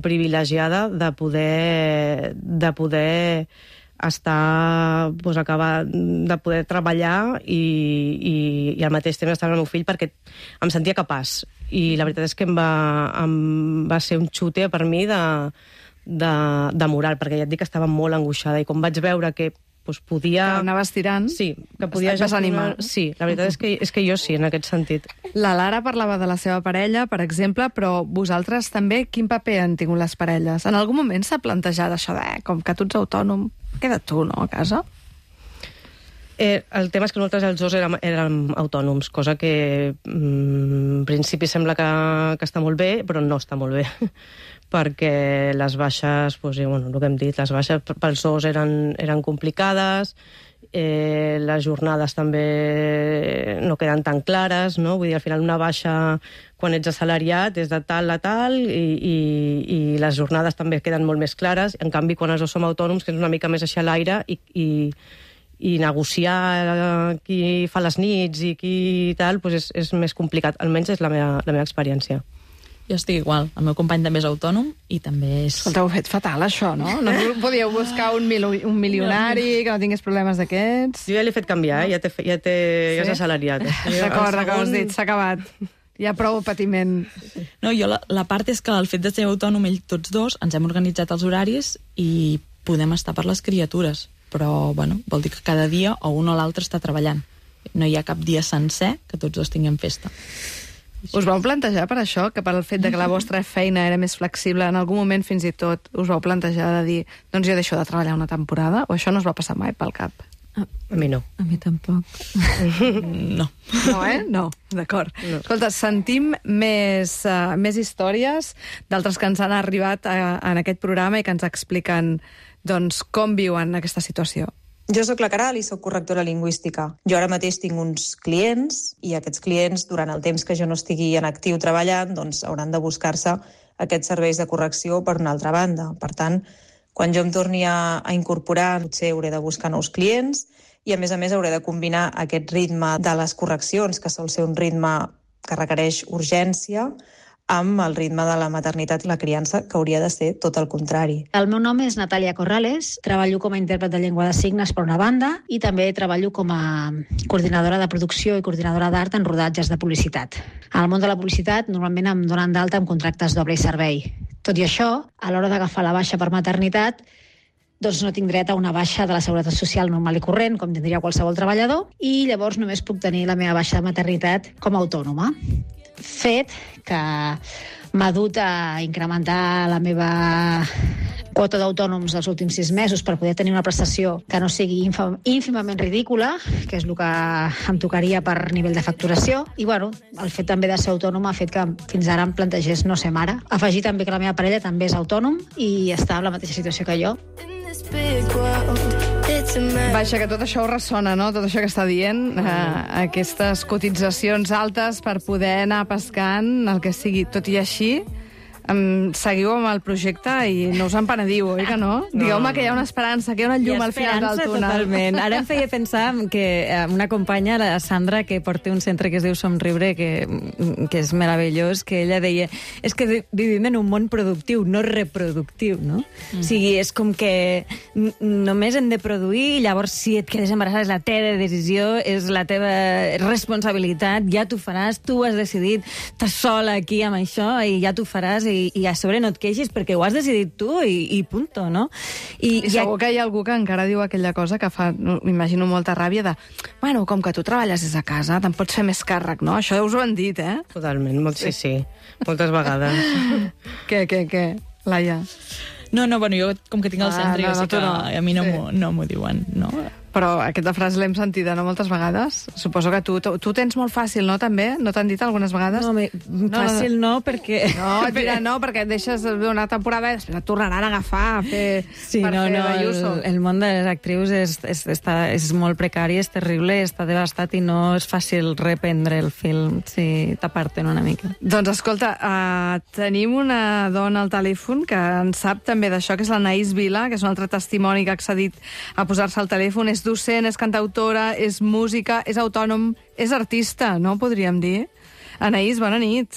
privilegiada de poder estar, doncs, acabar de poder treballar i al mateix temps estar amb el meu fill, perquè em sentia capaç. I la veritat és que em va ser un xute per mi de moral, perquè ja et dic que estava molt angoixada, i com vaig veure que podia... Que anaves tirant. Sí, que podia desanimar. Sí, la veritat és que jo sí, en aquest sentit. La Lara parlava de la seva parella, per exemple, però vosaltres també, quin paper han tingut les parelles? En algun moment s'ha plantejat això de, com que tu ets autònom, queda tu, no, a casa? El tema és que nosaltres els dos érem autònoms, cosa que en principi sembla que està molt bé, però no està molt bé, perquè les baixes, el que hem dit, les baixes pels dos eren complicades, les jornades també no queden tan clares, no? Vull dir, al final una baixa quan ets assalariat és de tal a tal i les jornades també queden molt més clares. En canvi, quan els dos som autònoms, que és una mica més així a l'aire i negociar qui fa les nits i qui tal, és més complicat. Almenys és la meva experiència. Jo estic igual. El meu company també és autònom i també és... Escolta, ho heu fet fatal, això, no? No podíeu buscar un milionari que no tingués problemes d'aquests? Jo ja l'he fet canviar, ja és assalariat. D'acord, has dit, s'ha acabat. Hi ha prou patiment. No, jo la part és que el fet de ser autònom, tots dos, ens hem organitzat els horaris i podem estar per les criatures. Però, vol dir que cada dia o un o l'altre està treballant. No hi ha cap dia sencer que tots dos tinguem festa. Us vau plantejar per això, que per el fet de que la vostra feina era més flexible, en algun moment fins i tot us vau plantejar de dir, doncs jo deixo de treballar una temporada, o això no us va passar mai pel cap? A mi no. A mi tampoc. No. No, No, d'acord. No. Escolta, sentim més històries d'altres que ens han arribat en aquest programa i que ens expliquen doncs, com viuen aquesta situació. Jo sóc la Caral i sóc correctora lingüística. Jo ara mateix tinc uns clients i aquests clients, durant el temps que jo no estigui en actiu treballant, doncs hauran de buscar-se aquests serveis de correcció per una altra banda. Per tant, quan jo em torni a incorporar, potser hauré de buscar nous clients i, a més, hauré de combinar aquest ritme de les correccions, que sol ser un ritme que requereix urgència, amb el ritme de la maternitat i la criança, que hauria de ser tot el contrari. El meu nom és Natàlia Corrales, treballo com a intèrpret de llengua de signes per una banda i també treballo com a coordinadora de producció i coordinadora d'art en rodatges de publicitat. Al món de la publicitat normalment em donen d'alta amb contractes doble servei. Tot i això, a l'hora d'agafar la baixa per maternitat, doncs no tinc dret a una baixa de la Seguretat Social normal i corrent, com tindria qualsevol treballador, i llavors només puc tenir la meva baixa de maternitat com a autònoma. Fet que m'ha dut a incrementar la meva quota d'autònoms els últims 6 mesos per poder tenir una prestació que no sigui ínfimament ridícula, que és el que em tocaria per nivell de facturació. I, el fet també de ser autònoma ha fet que fins ara em plantegés no ser mare. Afegir també que la meva parella també és autònom i està en la mateixa situació que jo. Vaja, que tot això ho ressona, no? Tot això que està dient, aquestes cotitzacions altes per poder anar pescant, el que sigui. Tot i així, seguiu amb el projecte i no us en penediu, oi que no? Digueu-me que hi ha una esperança, que hi ha una llum al final del túnel. Totalment. Ara em feia pensar que una companya, la Sandra, que porta un centre que es diu Somriure, que és meravellós, que ella deia, és que vivim en un món productiu, no reproductiu, no? O sigui, és com que només hem de produir, llavors si et quedes embarassada és la teva decisió, és la teva responsabilitat, ja t'ho faràs, tu has decidit, estàs sola aquí amb això i ja t'ho faràs i a sobre no et queixis perquè ho has decidit tu i punto, no? I segur que hi ha algú que encara diu aquella cosa que fa, m'imagino, molta ràbia de, com que tu treballes des de casa, te'n pots fer més càrrec, no? Això us ho han dit, eh? Totalment, sí. Moltes vegades. Què? Laia? No, jo com que tinc el centre, jo sé que a mi no m'ho diuen, no? Però aquesta frase l'hem sentida, no?, moltes vegades. Suposo que tu tens molt fàcil, no?, també? No t'han dit algunes vegades? No, fàcil no, perquè... No, perquè et deixes una temporada i després et tornaran a agafar a fer... Sí, el món de les actrius és molt precari, és terrible, està devastat i no és fàcil reprendre el film, si t'aparten una mica. Doncs escolta, tenim una dona al telèfon que en sap també d'això, que és l'Anaïs Vila, que és un altre testimoni que ha accedit a posar-se al telèfon. És docent, és cantautora, és música, és autònom, és artista, no podríem dir? Anaïs, bona nit.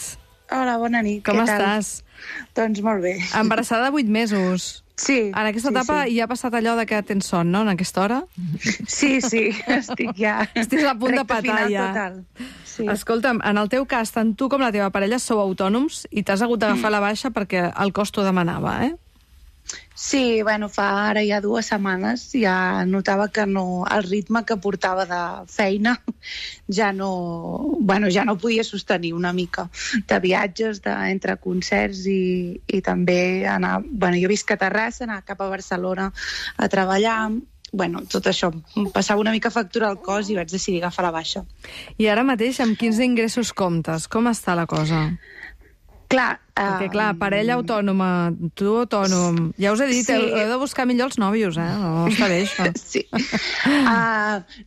Hola, bona nit. Com Què tal? estàs? Doncs molt bé. Embarassada de 8 mesos. Sí. En aquesta etapa ja ha passat allò de que tens son, no?, en aquesta hora? Sí, estic ja... Estàs a punt de petar, ja. Total. Sí. Escolta'm, en el teu cas, tant tu com la teva parella sou autònoms i t'has hagut d'agafar la baixa perquè el cost t'ho demanava, eh? Sí, bueno, fa ara ja 2 setmanes ja notava que no, el ritme que portava de feina ja no podia sostenir una mica de viatges, entre concerts i també anar... Bueno, jo visc a Terrassa, anar cap a Barcelona a treballar... Bueno, tot això, em passava una mica factura al cos i vaig decidir agafar la baixa. I ara mateix, amb quins ingressos comptes? Com està la cosa? Clar... Perquè, clar, parella autònoma, tu autònom... Ja us he dit, Sí. heu de buscar millor els nòvios, eh? No està bé, això. Sí.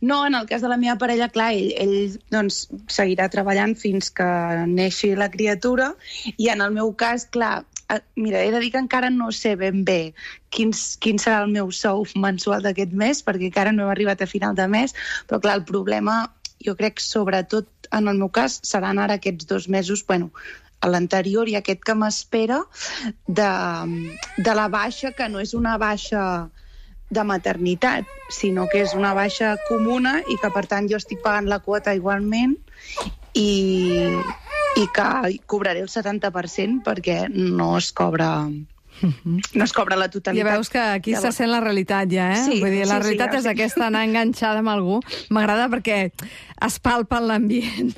No, en el cas de la meva parella, clar, ell doncs, seguirà treballant fins que neixi la criatura, i en el meu cas, clar, mira, he de dir que encara no sé ben bé quin serà el meu sou mensual d'aquest mes, perquè encara no hem arribat a final de mes, però clar, el problema, jo crec, sobretot en el meu cas, seran ara aquests 2 mesos, bueno, a l'anterior i aquest que m'espera de la baixa, que no és una baixa de maternitat, sinó que és una baixa comuna i que, per tant, jo estic pagant la quota igualment i que cobraré el 70% perquè no es cobra la totalitat. Ja veus que aquí se sent la realitat ja, eh? Sí, Vull dir, la realitat és sí. aquesta, anar enganxada amb algú. M'agrada perquè es palpa en l'ambient.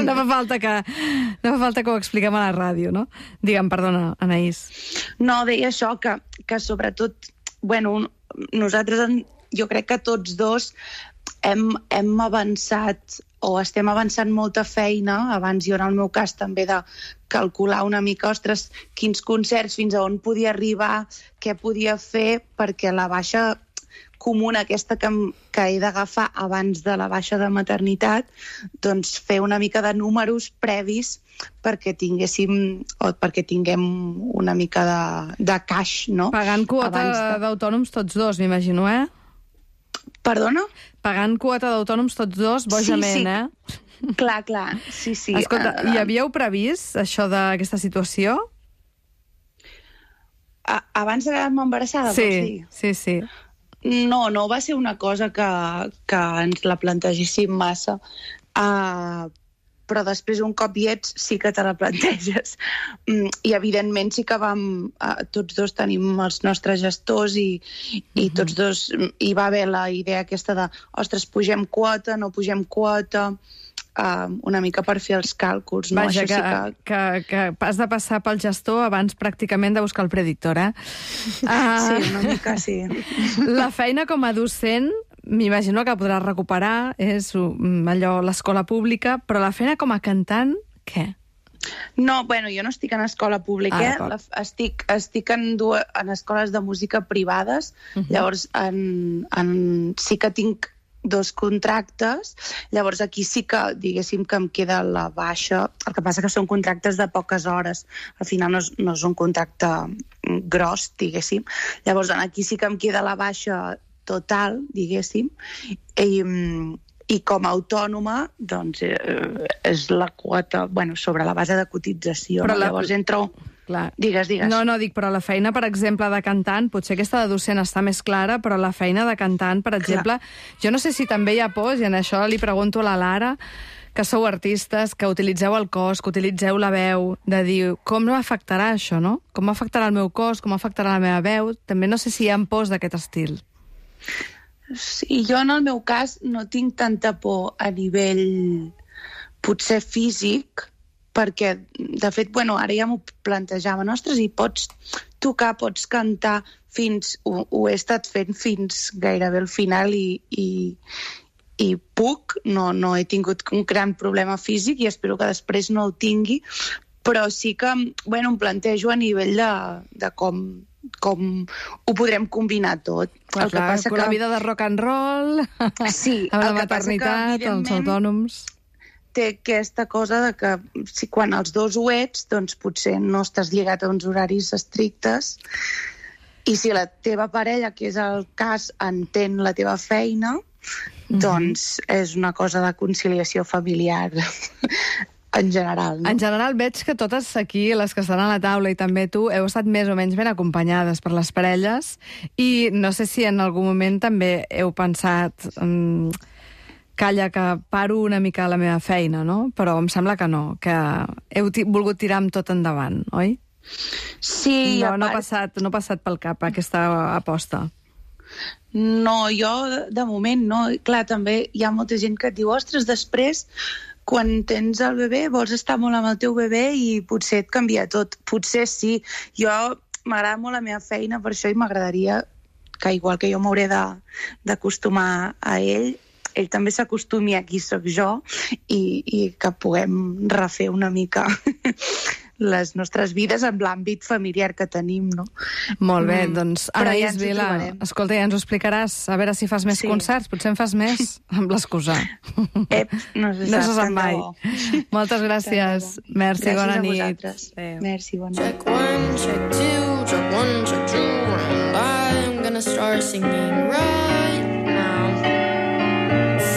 No fa falta que ho expliquem a la ràdio, no? Digue'm, perdona, Anaïs. No, deia això, que sobretot, bueno, nosaltres, jo crec que tots dos hem avançat o estem avançant molta feina, abans jo en el meu cas també de calcular una mica, ostres, quins concerts, fins a on podia arribar, què podia fer, perquè la baixa comuna aquesta que he d'agafar abans de la baixa de maternitat, doncs fer una mica de números previs perquè tinguem una mica de cash, no? Pagant quota d'autònoms tots dos, m'imagino, eh? Perdona? Pagant quota d'autònoms tots dos, bojament, sí. Clar, sí. Escolta, hi havíeu previst això d'aquesta situació? Abans de quedar-me embarassada, vols dir? Sí. No va ser una cosa que ens la plantegéssim massa, però després un cop hi ets sí que te la planteges. I evidentment sí que tots dos tenim els nostres gestors i tots dos hi va haver la idea aquesta de ostres, pugem quota, no pugem quota, una mica per fer els càlculs. No? Vaja, Això que has de passar pel gestor abans pràcticament de buscar el predictor, eh? Sí, una mica sí. La feina com a docent m'imagino que podràs recuperar, és allò, l'escola pública, però la feina com a cantant, què? No, bueno, jo no estic en escola pública, estic en escoles de música privades, llavors sí que tinc 2 contractes, llavors aquí sí que, diguéssim, que em queda la baixa, el que passa que són contractes de poques hores, al final no és un contracte gros, diguéssim, llavors aquí sí que em queda la baixa total, diguéssim, i com a autònoma, doncs, és la quota, bueno, sobre la base de cotització. Però llavors entro... Clar. Digues. No, dic, però la feina, per exemple, de cantant, potser aquesta de docent està més clara, però la feina de cantant, per exemple, jo no sé si també hi ha pors, i en això li pregunto a la Lara, que sou artistes, que utilitzeu el cos, que utilitzeu la veu, de dir, com m'afectarà això, no? Com m'afectarà el meu cos, com m'afectarà la meva veu? També no sé si hi ha pors d'aquest estil. Sí, jo en el meu cas no tinc tanta por a nivell potser físic, perquè, de fet, bueno, ara ja m'ho plantejava, ostres, i pots tocar, pots cantar ho he estat fent fins gairebé al final i puc, no he tingut un gran problema físic i espero que després no el tingui, però sí que, bueno, em plantejo a nivell de com ho podrem combinar tot. El que passa que la vida de rock and roll, sí, amb la maternitat, els autònoms... té aquesta cosa de que si quan els dos ho ets, doncs potser no estàs lligat a uns horaris estrictes, i si la teva parella, que és el cas, entén la teva feina, doncs és una cosa de conciliació familiar en general. No? En general veig que totes aquí, les que estan a la taula i també tu, heu estat més o menys ben acompanyades per les parelles i no sé si en algun moment també heu pensat calla, que paro una mica la meva feina, no? Però em sembla que no, que heu volgut tirar amb tot endavant, oi? Sí, no ha passat pel cap aquesta aposta. No, jo de moment no. Clar, també hi ha molta gent que et diu ostres, després, quan tens el bebè, vols estar molt amb el teu bebè i potser et canvia tot. Potser sí. Jo m'agrada molt la meva feina, per això i m'agradaria que, igual que jo m'hauré d'acostumar a ell també s'acostumi a qui sóc jo i que puguem refer una mica les nostres vides en l'àmbit familiar que tenim, no? Molt bé, doncs Anaïs Vila, escolta, ja ens ho explicaràs, a veure si fas més concerts, potser en fas més amb l'excusa. No se sap mai. Moltes gràcies. Merci, bona nit. Gràcies a vosaltres. Merci, bona nit. Check 1, check 2, check 1, check 2, and I'm gonna start singing right now.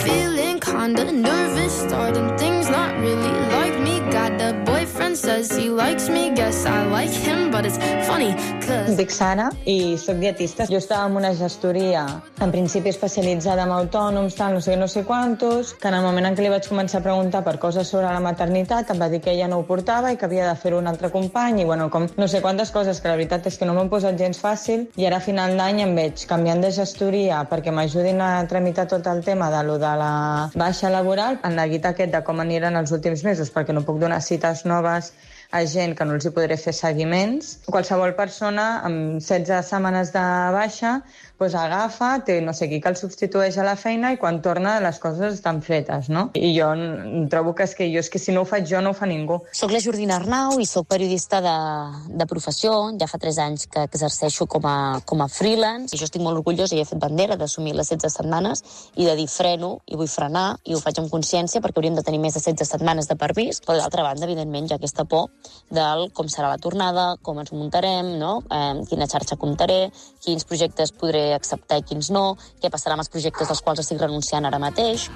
Feeling kinda nervous, starting things not really like me. Got a boyfriend, says he likes me, guess I like him, but it's funny, cause... Em dic Sara i soc dietista. Jo estava en una gestoria, en principi especialitzada en autònoms, tal, no sé quantos, que en el moment en què li vaig començar a preguntar per coses sobre la maternitat, em va dir que ella no ho portava i que havia de fer-ho un altre company, i bueno, com no sé quantes coses, que la veritat és que no m'han posat gens fàcil, i ara a final d'any em veig canviant de gestoria perquè m'ajudin a tramitar tot el tema de lo de la baixa laboral, en el guit aquest de com aniran els últims mesos, perquè no puc donar cites noves a gent que no els hi podré fer seguiments. Qualsevol persona amb 16 setmanes de baixa doncs agafa, té no sé qui que el substitueix a la feina i quan torna les coses estan fetes, no? I jo trobo que és que si no ho faig jo no ho fa ningú. Soc la Jordina Arnau i soc periodista de professió. Ja fa 3 anys que exerceixo com a freelance i jo estic molt orgullosa i he fet bandera d'assumir les 16 setmanes i de dir freno i vull frenar i ho faig amb consciència perquè hauríem de tenir més de 16 setmanes de permís, però d'altra banda, evidentment, hi ha aquesta por del com serà la tornada, com ens muntarem, no? Quina xarxa comptaré, quins projectes podré acceptar i quins no, què passarà amb els projectes dels quals estic renunciant ara mateix.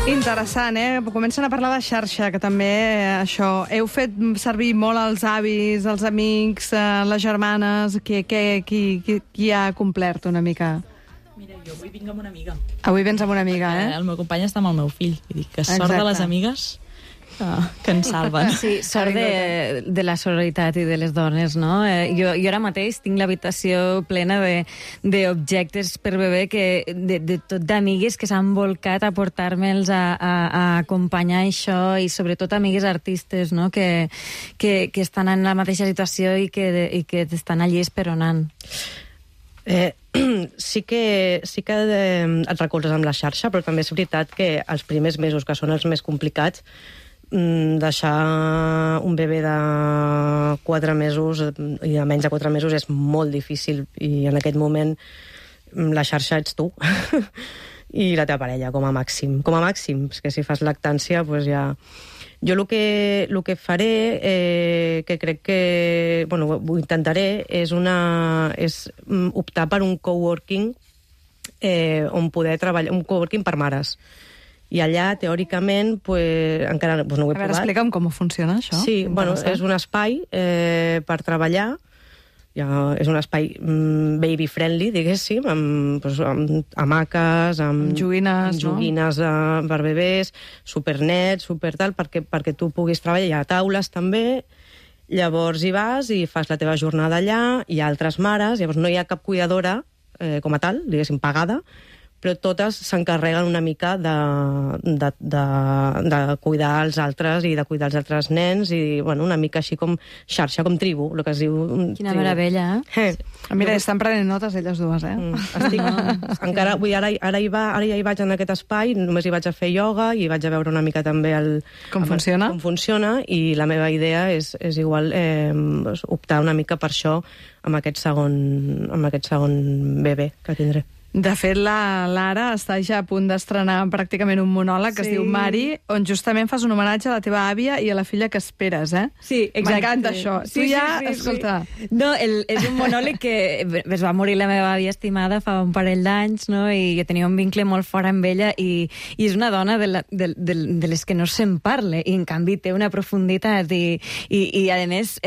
Interessant, Comencen a parlar de xarxa, que també això... Heu fet servir molt els avis, els amics, les germanes... Qui ha complert una mica? Mira, jo avui vinc amb una amiga. Avui vens amb una amiga, El meu company està amb el meu fill. Vull dir que sort de les amigues que ens salven. Sí, sort de la sororitat i de les dones, no? Jo ara mateix tinc l'habitació plena d'objectes per bebè, de tot d'amigues que s'han volcat a portar-me'ls a acompanyar això, i sobretot amigues artistes, no? Que estan en la mateixa situació i que estan allí esperonant. Sí que et recolzes amb la xarxa, però també és veritat que els primers mesos, que són els més complicats, deixar un bebè de 4 mesos i de menys de 4 mesos és molt difícil, i en aquest moment la xarxa ets tu i la teva parella, com a màxim. És que si fas lactància, doncs ja... Jo el que faré, que crec que... Bueno, ho intentaré, és optar per un coworking on poder treballar... Un coworking per mares. I allà, teòricament, encara no ho he provat. A veure, explica'm com funciona això. Sí, bueno, és un espai per treballar, és un espai baby-friendly, diguéssim, amb hamaques, amb joguines per bebès, supernet, supertal, perquè tu puguis treballar. Hi ha taules també, llavors hi vas i fas la teva jornada allà, hi ha altres mares, llavors no hi ha cap cuidadora com a tal, diguéssim, pagada, però totes s'encarreguen una mica de cuidar els altres i de cuidar els altres nens, i bueno, una mica així com xarxa, com tribu, el que es diu. Quina meravella, Mira, estan prenent notes elles dues, Encara, ara ja hi vaig en aquest espai, només hi vaig a fer ioga i vaig a veure una mica també com funciona, i la meva idea és igual optar una mica per això amb aquest segon bebè que tindré. De fet, la Lara està ja a punt d'estrenar pràcticament un monòleg que es diu Mari, on justament fas un homenatge a la teva àvia i a la filla que esperes, eh? Sí, exacte. M'encanta això. Sí, tu ja, sí. escolta... No, és un monòleg que es va morir la meva àvia estimada fa un parell d'anys, no? I jo tenia un vincle molt fort amb ella i és una dona de les que no se'n parla i en canvi té una profunditat i a més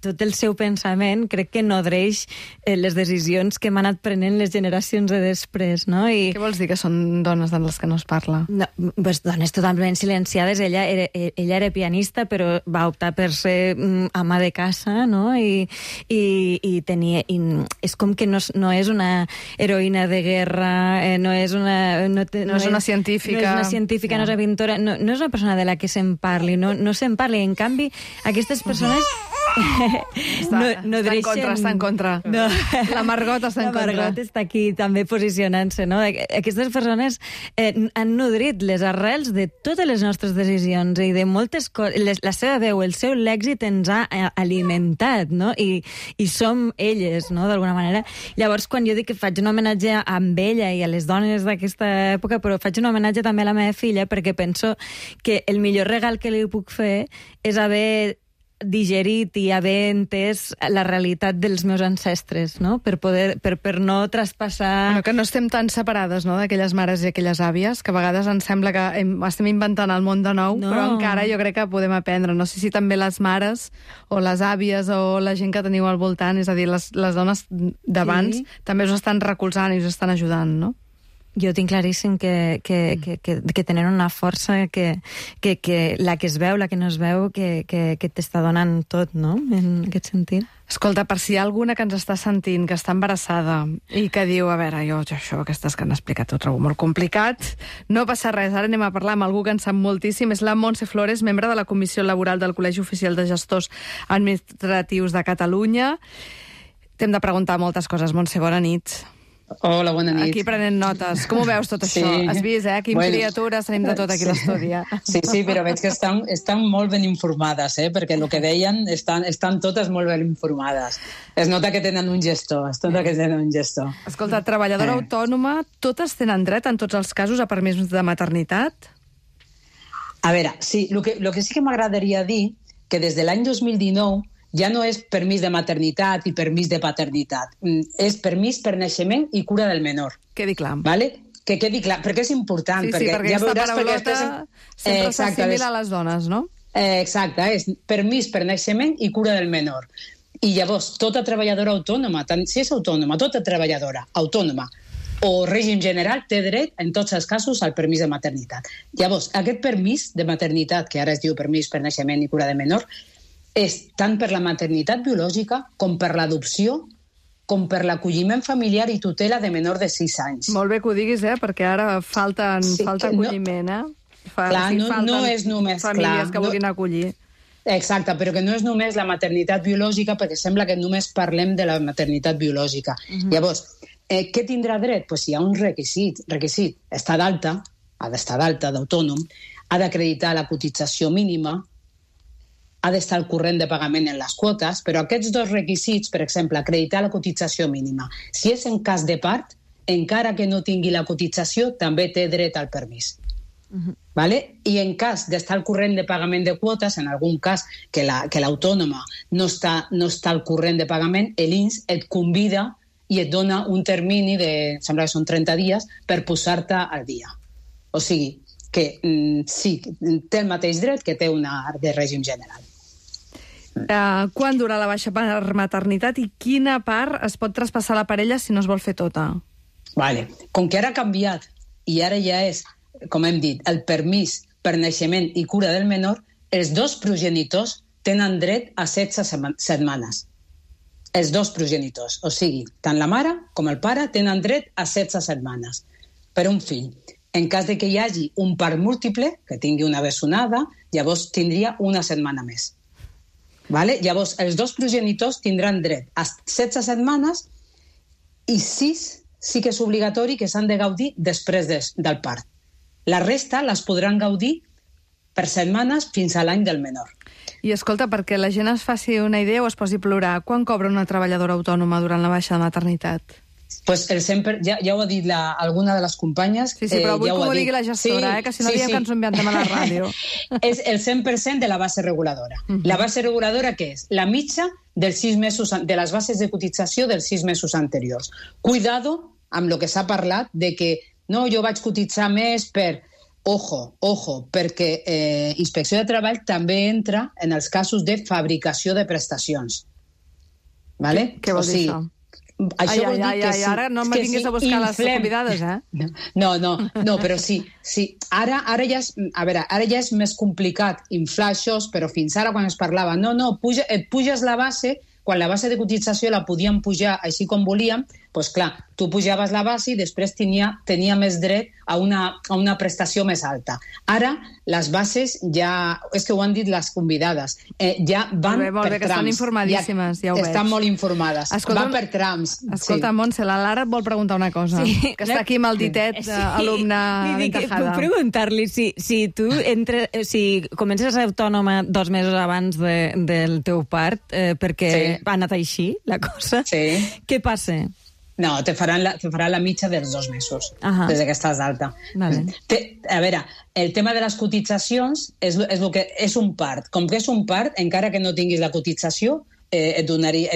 tot el seu pensament crec que nodreix les decisions que hem anat prenent les generacions de després, no? Què vols dir que són dones de les que no es parla? No, pues dones totalment silenciades. Ella era pianista, però va optar per ser ama de casa, no? I és com que no és una heroïna de guerra, no és una científica. No és una científica, no és una pintora, no és una persona de la que se'n parli, no se'n parli. En canvi, aquestes persones... Està en contra. No. La Margot està en contra. La Margot està aquí també posicionant-se, no? Aquestes persones han nodrit les arrels de totes les nostres decisions i de moltes coses. La seva veu, el seu lèxic ens ha alimentat, no? I som elles, no?, d'alguna manera. Llavors, quan jo dic que faig un homenatge amb ella i a les dones d'aquesta època, però faig un homenatge també a la meva filla perquè penso que el millor regal que li puc fer és haver digerit i haver entès la realitat dels meus ancestres, no? Per no traspassar... Bueno, que no estem tan separades, no?, d'aquelles mares i aquelles àvies, que a vegades ens sembla que estem inventant el món de nou, però encara jo crec que podem aprendre. No sé si també les mares o les àvies o la gent que teniu al voltant, és a dir, les dones d'abans, també us estan recolzant i us estan ajudant, no? Jo tinc claríssim que tenen una força que la que es veu, la que no es veu, que t'està donant tot, no?, en aquest sentit. Escolta, per si hi ha alguna que ens està sentint, que està embarassada i que diu, a veure, jo això, aquestes que han explicat ho trobo molt complicat, no passa res, ara anem a parlar amb algú que en sap moltíssim, és la Montse Flores, membre de la Comissió Laboral del Col·legi Oficial de Gestors Administratius de Catalunya. T'hem de preguntar moltes coses, Montse, bona nit. Hola, bona nit. Aquí prenent notes. Com ho veus tot això? Has vist, Quin criatures tenim de tot aquí a l'estudi. Sí, però veig que estan molt ben informades, perquè el que deien estan totes molt ben informades. Es nota que tenen un gestor, Escolta, treballadora autònoma, totes tenen dret en tots els casos a permís de maternitat? A veure, sí, el que sí que m'agradaria dir que des de l'any 2019 ja no és permís de maternitat i permís de paternitat. És permís per naixement i cura del menor. Quedi clar. Vale? Que quedi clar, perquè és important. Sí, perquè aquesta paraulota sempre s'assimila a les dones, no? Exacte, és permís per naixement i cura del menor. I llavors, tota treballadora autònoma, tant si és autònoma, tota treballadora autònoma o règim general té dret, en tots els casos, al permís de maternitat. Llavors, aquest permís de maternitat, que ara es diu permís per naixement i cura de menor, és tant per la maternitat biològica com per l'adopció, com per l'acolliment familiar i tutela de menor de 6 anys. Molt bé que ho diguis, perquè ara falta acolliment, Clar, no és només... famílies que vulguin acollir. Exacte, però que no és només la maternitat biològica, perquè sembla que només parlem de la maternitat biològica. Llavors, què tindrà dret? Pues si hi ha un requisit, està d'alta, ha d'estar d'alta, d'autònom, ha d'acreditar la cotització mínima, ha d'estar al corrent de pagament en les quotes, però aquests dos requisits, per exemple, acreditar la cotització mínima, si és en cas de part, encara que no tingui la cotització, també té dret al permís. Vale? I en cas d'estar al corrent de pagament de quotes, en algun cas que l'autònoma no està al corrent de pagament, l'INS et convida i et dona un termini sembla que són 30 dies, per posar-te al dia. O sigui, que sí, té el mateix dret que té una de règim general. Quan dura la baixa per maternitat i quina part es pot traspassar a la parella si no es vol fer tota? Vale. Com que ara ha canviat i ara ja és, com hem dit, el permís per naixement i cura del menor, els dos progenitors tenen dret a 16 setmanes. Els dos progenitors, o sigui, tant la mare com el pare tenen dret a 16 setmanes per un fill. En cas de que hi hagi un part múltiple, que tingui una bessonada, llavors tindria una setmana més. Vale? Llavors, els dos progenitors tindran dret a 16 setmanes i 6 sí que és obligatori que s'han de gaudir després del part. La resta les podran gaudir per setmanes fins a l'any del menor. I escolta, perquè la gent es faci una idea o es posi a plorar, quan cobra una treballadora autònoma durant la baixa de maternitat? Pues el 100%, ja ho ha dit alguna de les companyes. Sí, però vull que ho digui la gestora, que si no diem que ens ho inventem a la ràdio. És el 100% de la base reguladora. La base reguladora, què és? La mitja dels 6 mesos, de les bases de cotització dels 6 mesos anteriors. Cuidado amb el que s'ha parlat de que no, jo vaig cotitzar més per... Ojo, perquè Inspecció de Treball també entra en els casos de fabricació de prestacions. Vale? Què vol dir això? Això vol dir que sí. Ara no me vinguis a buscar les convidades, eh? No, però sí. Ara ja és més complicat inflar això, però fins ara quan es parlava, et puges la base, quan la base de cotització la podíem pujar així com volíem, doncs clar, tu pujaves la base i després tenia més dret a una prestació més alta. Ara, les bases ja... És que ho han dit les convidades. Ja van molt bé, per que trams. Estan informadíssimes, ja ho veig. Estan molt informades. Van per trams. Escolta, Montse, la Lara et vol preguntar una cosa. Que està aquí amb el ditet d'alumne aventajada. Puc preguntar-li si tu comences a ser autònoma 2 mesos abans del teu part, perquè ha anat així la cosa, què passa? No, te faran la mitja dels 2 mesos, des que estàs d'alta. Vale. A veure, el tema de les cotitzacions és un part. Com que és un part, encara que no tinguis la cotització, et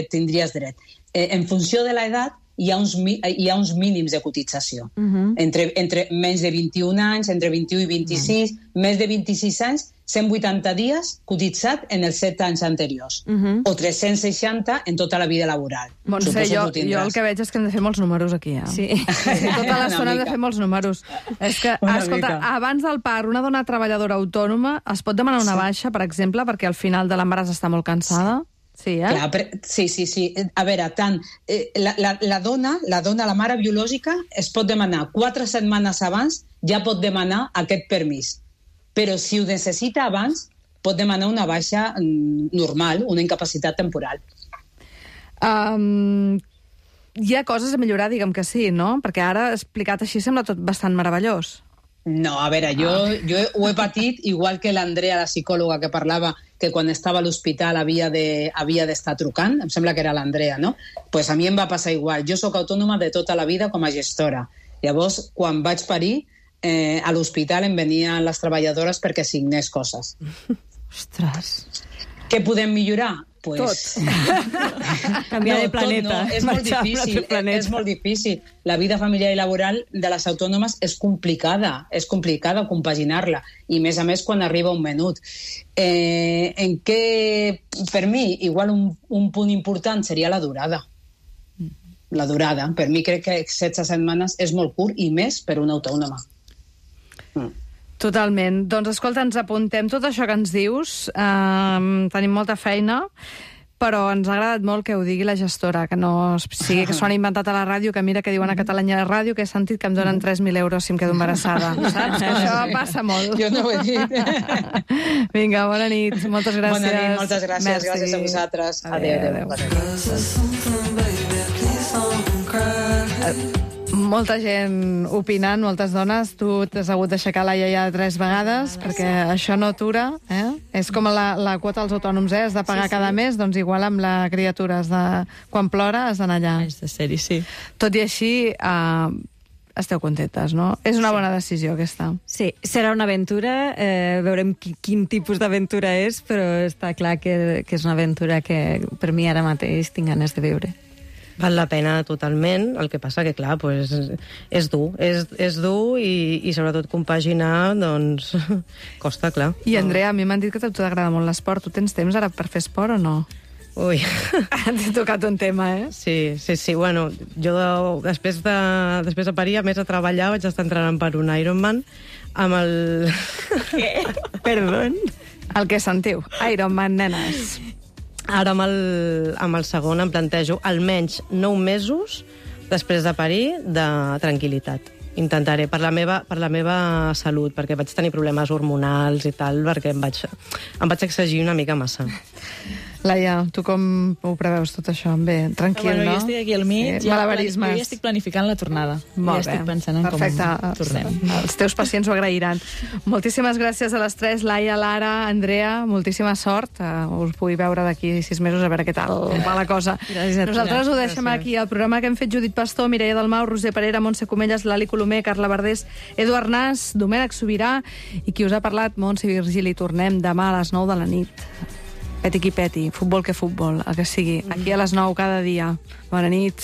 tindries dret. En funció de l'edat, hi ha uns mínims de cotització. Entre menys de 21 anys, entre 21 i 26, més de 26 anys, 180 dies cotitzat en els 7 anys anteriors, o 360 en tota la vida laboral. Montse, jo el que veig és que hem de fer molts números aquí. Sí. Tota l'estona hem de fer molts números. És que, escolta, abans del part, una dona treballadora autònoma es pot demanar una baixa, per exemple, perquè al final de l'embaràs està molt cansada? Sí, eh? Clar, sí. A veure, tant la dona, la mare biològica, es pot demanar 4 setmanes abans, ja pot demanar aquest permís. Però si ho necessita abans, pot demanar una baixa normal, una incapacitat temporal. Hi ha coses a millorar, diguem que sí, no? Perquè ara, explicat així, sembla tot bastant meravellós. No, a veure, jo ho he patit, igual que l'Andrea, la psicòloga que parlava, que quan estava a l'hospital havia d'estar trucant, em sembla que era l'Andrea, no? Pues a mi em va passar igual. Jo sóc autònoma de tota la vida com a gestora. Llavors, quan vaig parir, a l'hospital em venien les treballadores perquè signés coses. Ostres. Què podem millorar? Tot. Canviar de planeta. És molt difícil. La vida familiar i laboral de les autònomes és complicada compaginar-la, i més a més quan arriba un menut. Per mi, igual un punt important seria la durada. La durada. Per mi crec que 16 setmanes és molt curt, i més per una autònoma. Totalment. Doncs escolta, ens apuntem tot això que ens dius. Tenim molta feina, però ens ha agradat molt que ho digui la gestora, que no sigui que s'ho han inventat a la ràdio, que mira que diuen a Catalunya Ràdio, que he sentit que em donen 3.000 euros si em quedo embarassada. Saps? Que això passa molt. Jo no ho he dit. Vinga, bona nit. Moltes gràcies. Bona nit, moltes gràcies. Merci. Gràcies a vosaltres. Adéu. Molta gent opinant, moltes dones. Tu t'has hagut d'aixecar la iaia 3 vegades, perquè això no atura. És com la quota als autònoms, has de pagar cada mes, doncs igual amb la criatura. Quan plora has d'anar allà. És de ser-hi, sí. Tot i així, esteu contentes, no? És una bona decisió, aquesta. Sí, serà una aventura, veurem quin tipus d'aventura és, però està clar que és una aventura que per mi ara mateix tinc ganes de viure. Val la pena totalment, el que passa que, clar, pues, és dur. És dur i sobretot compaginar, doncs, costa, clar. I, Andrea, a mi m'han dit que a tu t'agrada molt l'esport. Tu tens temps ara per fer esport o no? Ui. T'he tocat un tema, eh? Sí. Bueno, jo després de parir, a més de treballar, vaig estar entrenant per un Ironman amb el... Què? Perdó? El que sentiu. Ironman, nenes. Ara amb el segon em plantejo almenys 9 mesos després de parir de tranquil·litat. Intentaré, per la meva salut, perquè vaig tenir problemes hormonals i tal, perquè em vaig exigir una mica massa. Laia, tu com ho preveus tot això? Bé, tranquil, no? Jo estic aquí al mig, sí, malabarismes. Jo ja estic planificant la tornada. Molt ja estic pensant en perfecte. Com tornem. Els teus pacients ho agrairan. Moltíssimes gràcies a les tres, Laia, Lara, Andrea, moltíssima sort. Us pugui veure d'aquí 6 mesos a veure què tal va la cosa. Nosaltres ho deixem aquí. El programa que hem fet Judit Pastor, Mireia Dalmau, Roser Parera, Montse Comelles, Lali Colomer, Carla Verdés, Edu Arnàs, Domènec Sobirà i qui us ha parlat, Montse Virgili. Tornem demà a les 9 de la nit. Peti qui peti, futbol que futbol, el que sigui. Aquí a les 9 cada dia. Bona nit.